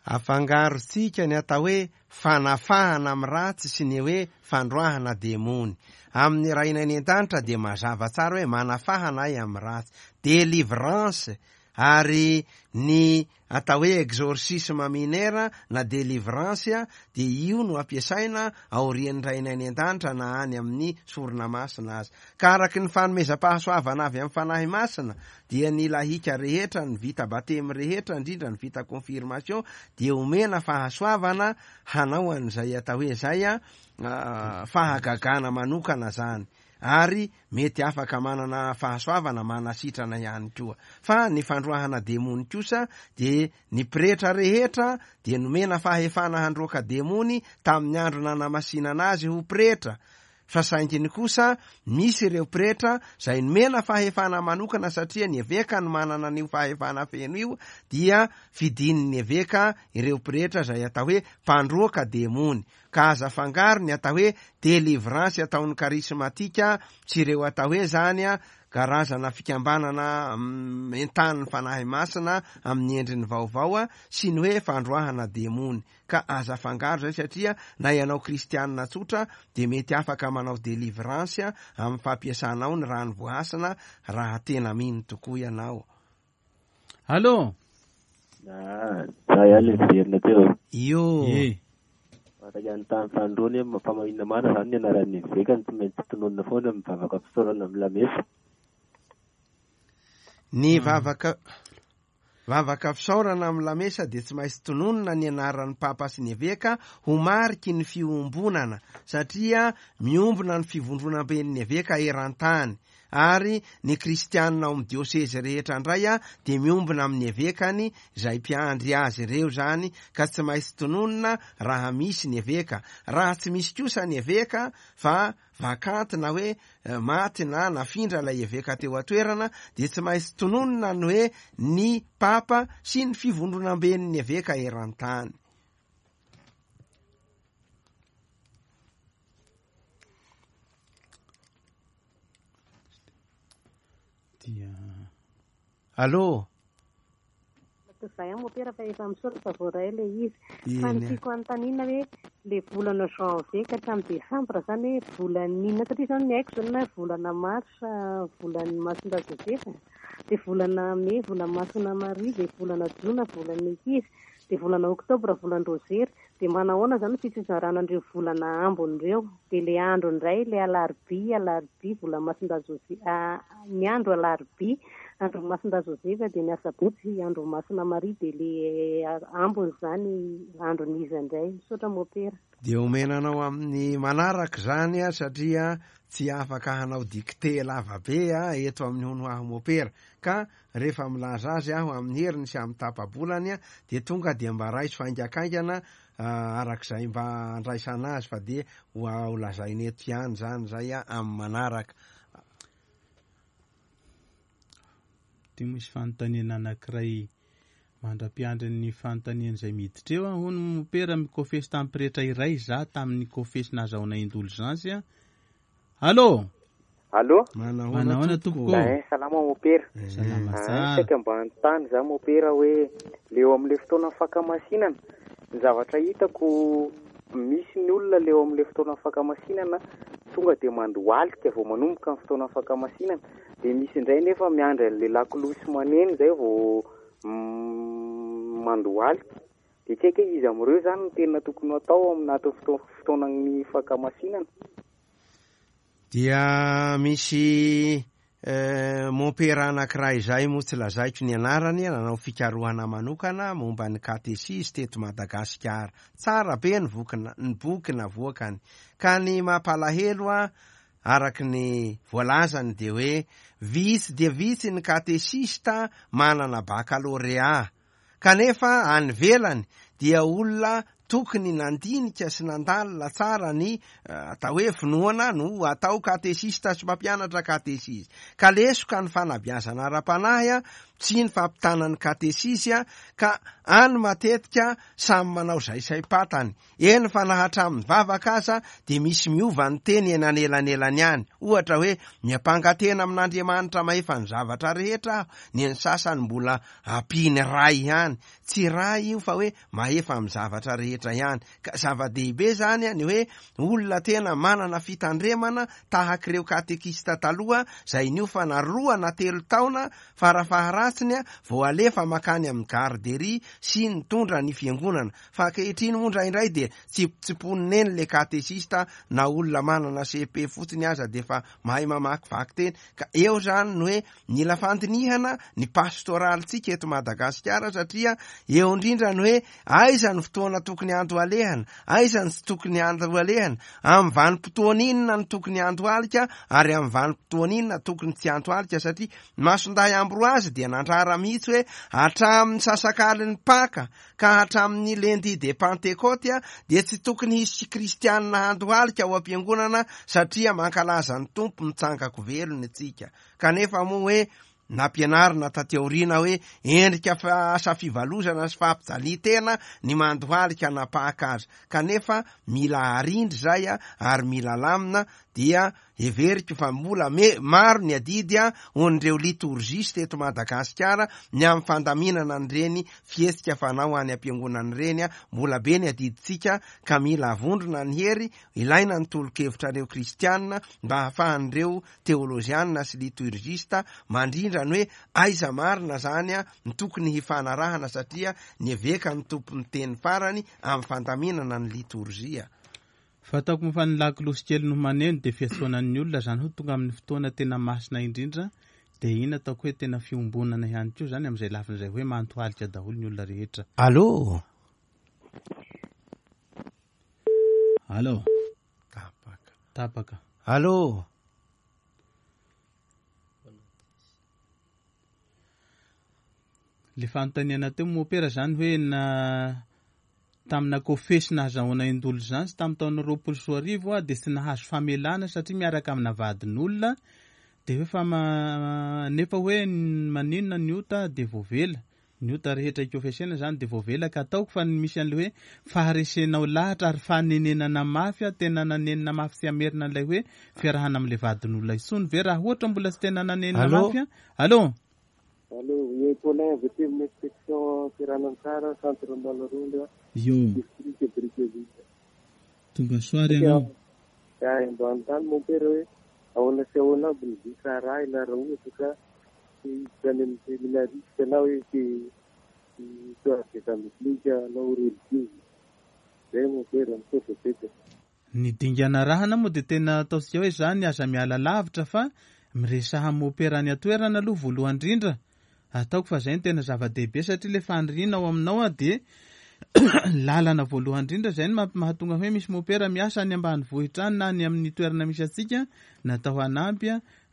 Afangarontsika ny atao hoe fanafahana amin'ny ratsy sy ny hoe fandroahana demony. Amin'ny Rainay any an-danitra dia mazava tsara hoe manafahana ahy amin'ny ratsy, délivrance, ary ny atao hoe exorcisme mineur na délivrance dia io no ampiasaina aorian'ny Rainay any an-danitra na any amin'ny sorona masina aza. Ka araky ny fanomezam-pahasoavana avy amin'ny Fanahy Masina dia ny lahika rehetra, ny vita batemy rehetra, indrindra ny vita confirmation dia omena fahasoavana hanao an'izay atao hoe izay fahagagana manokana zany. ary mety afaka manana fahasoavana manasitrana ihany koa. Fa ny fandroahana demony kosa dia ny pretra rehetra dia nomena fahefana handroaka demony tamin'ny andro nanamasinana azy ho pretra, fa sainginy kosa misy ireo pretra izay nomena fahefana manokana satria ny eveka no manana an'io fahefana feno io dia fidin'ny eveka ireo pretra izay atao hoe mpandroaka demony. Ka aza afangaro ny atao hoe delivrance ataon'ny karismatika sy ireo atao hoe zany karazana fikambanana entanin'ny Fanahy Masina amin'ny endriny vaovao sy ny hoe fandroahana demony. Ka aza afangaro zay satria na ianao kristianina tsotra dia mety afaka manao delivrance amin'ny fampiasanao ny rano voahasina raha tena mino tokoa ianao. Allô? Ah, za ihany le miverina teo. Io. Ye. Araka ny tany fanindroany hoe fa maninona marina zany ny anaran'ny eveka no tsy maintsy tononina foana amin'ny vavaka fisaorana amin'ny lamesa. Ny vavaka vavaka fisaorana amin'ny lamesa dia tsy maintsy tononina ny anaran'ny papa sy ny eveka ho mariky ny fiombonana satria miombona ny fivondronamben'ny eveka eran-tany. Ary ny kristianina ao amin'ny diosezy rehetra indray dia miombona amin'ny evekany izay mpiandry azy ireo izany ka tsy maintsy tononina raha misy ny eveka. Raha tsy misy kosa ny eveka fa vacante na hoe maty na nafindra ilay eveka teo an-toerana dia tsy maintsy tononina ny hoe ny papa sy ny fivondronamben'ny eveka eran-tany. Dia. Allô? Zay an mopera fa efa misaotra fa voaray ilay izy. Fa ny tiako anontaniana hoe Le volana janvier ka hatramin'ny décembre zany hoe volan'ny inona satria zany ny haiko zany na volana mars volan'ny Masindahy Joseph, dia volana mey volan'ny Masina Maria, dia volana jona volan'ny ankizy, dia volana oktobra volan'ny Rozery, dia manahoana zany ny fitsizarana an'ireo volana ambiny ireo, dia le andro indray le alarobia, alarobia volan'ny Masindahy Joseph, ny andro alarobia andron'ny Masindahy Joseph, dia ny asabotsy andron'ny Masina Maria, dia le ambiny zany andron'iza indray? Misaotra Mopera. Dia omena anao amin'ny manaraka izany satria tsy afaka hanao dictée lava be eto amin'ny hono aho Mopera. Ka rehefa milaza azy aho amin'ny heriny sy amin'ny tapa-bolany dia tonga dia mba raiso haingakaingana arak'izay mba andraisana azy fa dia ho lazaina eto ihany izany izay amin'ny manaraka. Ity misy fanontaniana anankiray mandra-piandry ny fanontaniana izay miditra eo. Hono mopera mikofesy tamin'ny pretra iray za tamin'ny kofesy nahazahoana indulgence. Allô? Allô? Manahoana tompoko? Eh, salama mopera. Salama Ah, tsara. saika mba hanontany za mopera hoe le eo amin'le fotoana fankamasinana, ny zavatra hitako misy ny olona le eo amin'le fotoana fankamasinana tonga dia mandohalika vao manomboka ny fotoana fankamasinana, dia misy indray nefa miandry an'le lakolosy maneno zay vao mandohalika. Dia tsy haiko hoe iza amin'ireo zany no tena tokony ho atao aminatin'ny fotoanan'ny fankamasinana. Dia misy mompera anankiray izay moa tsy lazaiko ny anarany, nanao fikarohana manokana momba ny katesizy teto Madagasikara. Tsara be ny ny boky navoakany. Ka ny mampalahelo araka ny voalazany dia hoe vitsy dia vitsy ny katesista manana bakalorea. Kanefa any ivelany dia olona tokony nandinika sy nandalina tsara ny atao hoe finoana no atao katesista sy mpampianatra katesizy. Ka lesoka ny fanabeazana ara-panahy sy ny fampitana ny katesizy ka any matetika samy manao izay saim-patany. Eny fa na hatramin'ny vavaka aza dia misy miova ny teny eny anelanelany any. Ohatra hoe, miampanga tena amin'Andriamanitra mahefa ny zavatra rehetra aho, ny an'ny sasany mbola ampiany Ray ihany. Tsy Ray io fa hoe mahefa amin'ny zavatra rehetra ihany. Ka zava-dehibe izany ny hoe olona tena manana fitandremana tahak'ireo katekista taloha izay niofana 2 na 3 taona farafaharatsiny vao alefa mankany amin'ny garderie sy nitondra ny fiangonana. Fa ankehitriny moa indraindray dia tsipotsiponina eny le katesista na olona manana CP fotsiny aza dia efa mahay mamakivaky teny. Ka eo izany ny hoe mila fandinihana ny pastoralintsika eto Madagasikara satria eo indrindra ny hoe aiza ny fotoana tokony handohalehana, aiza ny tsy tokony handohalehana, amin'ny vanim-potoana inona no tokony handohalika ary amin'ny vanim-potoana inona tokony tsy handohalika satria Masindahy Ambroise dia nandrara mihitsy hoe hatramin'ny sasakalin'ny Paka ka hatramin'ny lundi de Pentecôte dia tsy tokony hisy kristianina handohalika ao am-piangonana satria mankalaza ny Tompo mitsangako velona isika. Kanefa moa hoe nampianarina taty aoriana hoe endrika asa fivalozana sy fampijalian-tena ny mandohalika na Paka aza. Kanefa mila arindry izay ary mila lamina dia Heveriko fa mbola maro ny adidy ho an'ireo litorgiste eto Madagasikara ny amin'ny fandaminana an'ireny fihetsika fanao any am-piangonana ireny. Mbola be ny adidintsika ka mila avondrona ny hery, ilaina ny tolo-kevitrareo kristiana mba hahafahan'ireo teolojiana sy liturgiste mandrindra ny hoe aiza marina izany ny tokony hifanarahana satria ny eveka no tompon'ny teny farany amin'ny fandaminana ny litorjia. Fantako moa fa ny lakolosy kely no maneno dia fiantsoana ny olona izany hoe tonga amin'ny fotoana tena masina indrindra dia iny ataoko hoe tena fiombonana ihany koa izany amin'izay lafiny izay hoe mantohalika daholo ny olona rehetra. Allô? Allô? Tapaka. Tapaka. Allô? Le fanontaniana teo mopera zany hoe na tamina kofesy nahazahoana indulgence tamin'ny taona 2020 aho dia tsy nahazo famelana satria miaraka amina vadin'olona dia hoe fa nefa hoe maninona ny ota dia voavela ny ota rehetra ikofesena zany dia voavela ka ataoko fa ny misy an'ilay hoe faharesenao lahatra ary fanenenana mafy aho tena nanenina mafy tsy hamerina an'ilay hoe fiarahana amin'ilay vadin'olona intsony ve raha ohatra mbola tsy tena nanenina mafy aho. Allô? Allô, ie Paulin avy aty amin'ny inspection Seranantsara, centre Ambalarondra, Io. district Brickaville. Tonga soa ary ianao. Ya, mba hanontany mompera hoe ahoana sy ahoana aby ny visa arahina raha ohatra ka te hiditra any amin'ny seminariste na hoe te histoire des angliques hanao religieuse. Zay mompera, misaotra betsaka. Ny dingana arahana moa dia tena ataontsika hoe izany aza miala lavitra fa miresaha amin'ny mopera any an-toerana aloha voalohany indrindra. Ataoko fa izay no tena zava-dehibe satria ilay faniriana ao aminao dia lalana voalohany indrindra izay no mahatonga hoe misy mopera miasa any ambanivohitra any na any amin'ny toerana misy antsika natao hanampy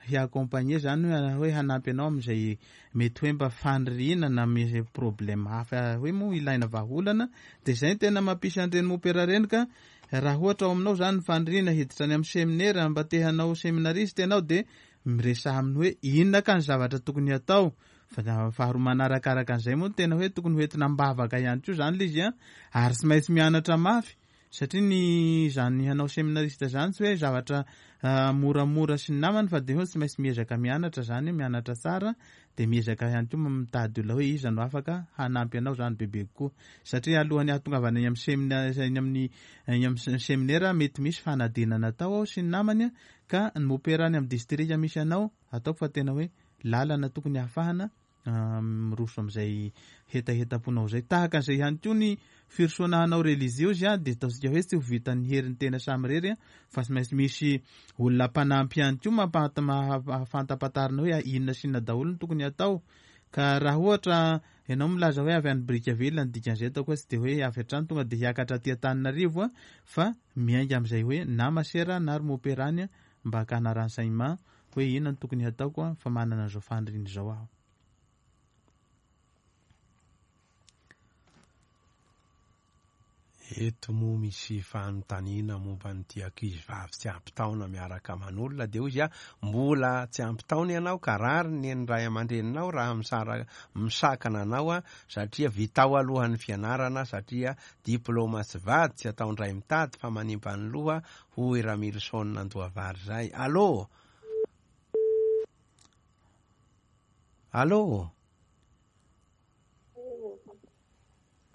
hi-accompagner izany hoe hanampy anao amin'izay mety hoe mba faniriana na misy problème hafa hoe moa ilaina vahaolana dia izay no tena mampisy an'ireny mopera ireny ka raha ohatra ao aminao izany ny faniriana hiditra any amin'ny seminera mba te hanao seminariste ianao dia miresaha aminy hoe inona ka ny zavatra tokony hatao fa faharoa manarakaraka an'izay moa no tena hoe tokony hoentina am-bavaka ihany koa izany ilay izy an ary tsy maintsy mianatra mafy Satria ny izany hanao seminariste izany tsy hoe zavatra moramora sy ny namany fa dia hoe tsy maintsy miezaka mianatra izany, mianatra tsara dia miezaka ihany koa mitady olona hoe iza no afaka hanampy anao izany bebe kokoa. Satria alohan'ny hahatongavana eny amin'ny semina eny amin'ny eny amin'ny seminera mety misy fanadinana atao ao sy ny namany ka ny mopera any amin'ny distrika misy anao ataoko fa tena hoe lalana tokony hahafahana miroso amin'izay hetahetam-ponao izay. Tahaka an'izay ihany koa ny firosoana hanao reliziozy dia ataontsika hoe tsy ho vitan'ny herin'ny tena samirery fa tsy maintsy misy olona mpanampy ihany koa mampahafantapantarina hoe inona sy inona daholo no tokony hatao. Ka raha ohatra ianao milaza hoe avy any Brickaville ny dikan'izay ataoko hoe tsy dia hoe avy hatrany tonga dia hiakatra aty Antananarivo fa miainga amin'izay hoe na masera na ry mopera any mba hakana renseignement hoe inona no tokony hataoko fa manana an'izao faniriana izao aho. Eto moa misy fanontaniana momba an'ity ankizivavy tsy ampy taona miaraka aman'olona dia hoy izy a, mbola tsy ampy taona ianao ka rariny ny ray aman-dreninao raha misara misakana anao a, satria vitao aloha ny fianarana satria diploma sy vady tsy ataon-dray mitady fa manimba ny loha hoy Ramilison Andohavary zay. Allô! Allô!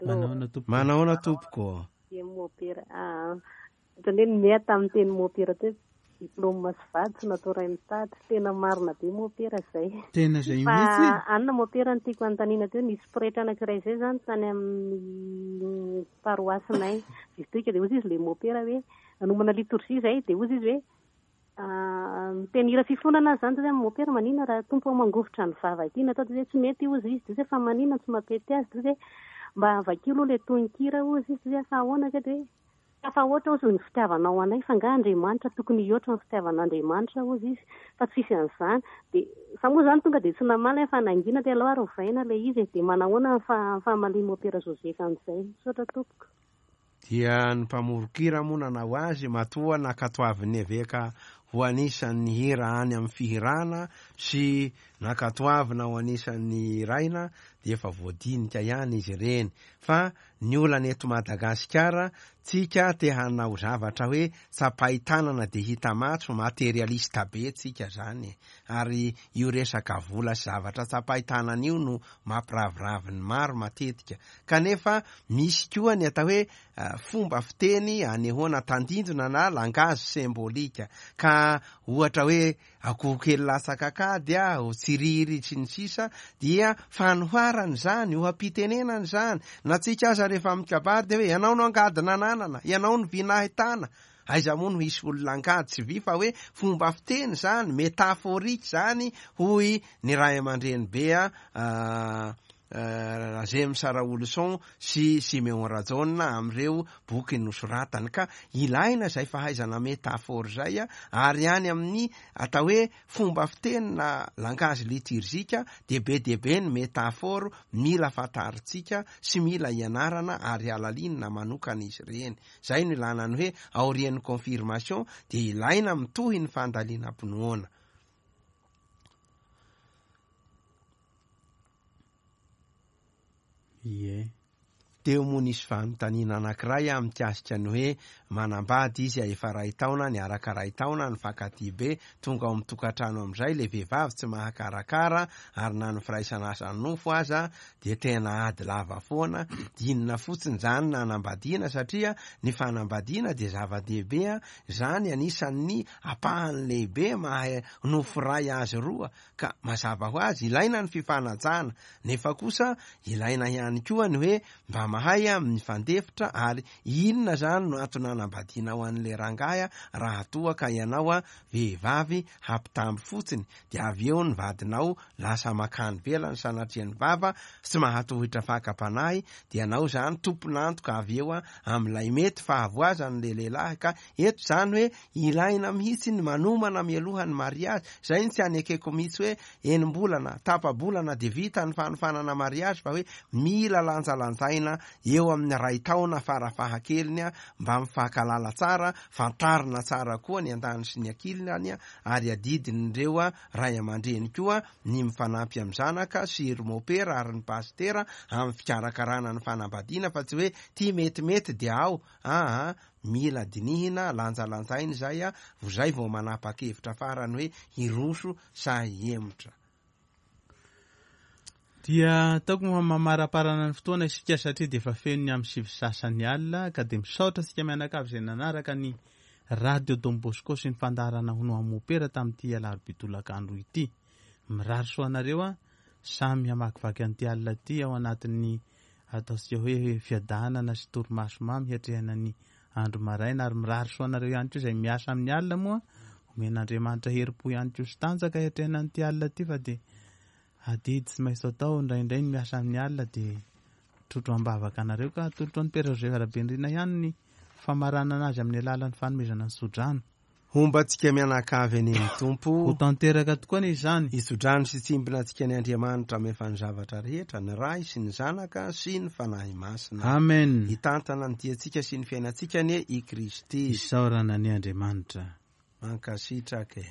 Manahoana tompoko? Manahoana tompoko? Dia mopera. Ah, ohatran'ny hoe niahy tamin'ny teny mopera teo. Diplôme sy vady tsy natao ray mitady. Tena marina be mopera izay. Tena izay Fa mihitsy e. anona mopera no tiako hanontaniana teo. Nisy pretra anankiray izay izany tany amin'ny paroasinay distrika dia hozy izy ilay mopera hoe nanomana litorjia izay dia hozy izy hoe miteny hira fifonana aza izany dia hoe mopera maninona raha tompo ô mangovitra ny vava ity natao dia hoe tsy mety hozy izy dia hoe fa maninona no tsy mampety azy dia hoe mba vakio aloha ilay tononkira hozy izy dia hoe fa ahoana kay dia hoe Tafahoatra hozy ny fitiavanao anay fa nga Andriamanitra tokony hihoatra ny fitiavan'Andriamanitra hozy izy fa tsisy an'izany dia za moa zany tonga dia tsy namaly aho fa nangina dia aleo ary ovaina ilay izy e dia manahoana ny famalian'i Mopera Joseph an'izay misaotra tompoko. Dia ny mpamoron-kira moa nanao azy matoa nankatoavin'ny eveka ho anisan'ny hira any amin'ny fihirana sy nankatoavina ho anisan'ny hiraina dia efa voadinika ihany izy ireny fa Ny olana eto Madagasikara, tsika te hanao zavatra hoe tsapain-tanana de hita matso, materialiste be tsika zany e. Ary io resaka vola sy zavatra tsapain-tanana io no mampiraviravy ny maro matetika. Kanefa misy koa ny atao hoe fomba fiteny anehoana tandindona na langage symbolique. Ka ohatra hoe Akoho kely latsaka an-kady aho, tsiriry sy ny sisa dia fanoharana izany, oha-pitenenana izany. Na tsika aza rehefa mikabary dia hoe ianao no angady nananana, ianao no vy nahitana. Aiza moa no hisy olona angady sy vy fa hoe fomba fiteny izany, métaphorique izany hoy ny ray aman-dreny be Rajames Raoloson sy Siméon Rajaona amin'ireo boky nosoratany. Ka ilaina izay fahaizana métaphore izay ary any amin'ny atao hoe fomba fiteny na langage liturgique dia be dia be ny métaphore mila fantarintsika sy mila ianarana ary halalinina manokana izy ireny. Izay no ilana ny hoe aorian'ny confirmation dia ilaina mitohy ny fandalinam-pinoana. Ie. Teo moa nisy fanontaniana anankiray mikasika ny hoe manambady izy efa iray taona, niaraka iray taona, nifankatia be, tonga ao amin'ny tokantrano amin'izay ilay vehivavy tsy mahakarakara ary na ny firaisana asa nofo aza dia tena ady lava foana, inona fotsiny izany nanambadiana satria ny fanambadiana dia zava-dehibe, izany anisan'ny ampahany lehibe maha nofo iray azy roa Ka mazava ho azy ilaina ny fifanajana, nefa kosa ilaina ihany koa ny hoe mba mahay mifandefitra ary inona zany no antony hanambadianao an'ilay rangahy raha toa ka ianao vehivavy hampitamby fotsiny dia avy eo ny vadinao lasa makany ivelany sanatria ny vava tsy mahatohitra fakam-panahy dia ianao zany tompon'antoka avy eo amin'ilay mety fahavoazan'ilay lehilahy ka eto zany hoe Ilaina mihitsy ny manomana mialoha ny mariazy, zay no tsy anekeko mihitsy hoe enim-bolana, tapa-bolana dia vita ny fanofanana mariazy fa hoe mila lanjalanjaina eo amin'ny iray taona farafahakeliny mba mifankalala tsara, fantarina tsara koa ny andaniny sy ny ankilany ary adidin'ireo ray aman-dreny koa ny mifanampy amin'ny zanaka sy ry mopera ary ny pasitera amin'ny fikarakarana ny fanambadiana fa tsy hoe ty metimety dia ao aa Mila dinihina, lanjalanjaina izay a, vozay vao manapa-kevitra farany hoe hiroso sa hihemotra. Dia ataoko moa mamaraparana ny fotoana isika satria dia efa feno ny amin'ny sivy sasany alina ka dia misaotra antsika mianakavy izay nanaraka ny Radio Don Bosco sy ny fandaharana Hono Aho Mopera tamin'ity alarobia tolakandro ity. Mirary soa anareo a, samy hamakivaky an'ity alina ity ao anatin'ny Ataontsika hoe fiadanana sy torimaso mamy hiatrehana ny andro maraina ary mirary soa anareo ihany koa izay miasa amin'ny alina moa omen'Andriamanitra herim-po ihany koa sy tanjaka hiatrehana an'ity alina ity fa dia adidy tsy maintsy atao indraindray ny miasa amin'ny alina dia trotro am-bavaka anareo ka atolotro an'i Père Joseph Rabenirina ihany ny famaranana azy amin'ny alalan'ny fanomezana ny tsodrano. Homba antsika mianakavy anie ny Tompo. Ho tanteraka tokoa anie izany. Hitsodrano sy hitsimbina antsika ny Andriamanitra mahefa ny zavatra rehetra, ny Ray sy ny Zanaka sy ny Fanahy Masina. Amen. Hitantana ny diantsika sy ny fiainantsika anie i Kristy. Isaorana anie Andriamanitra. Mankasitraka e.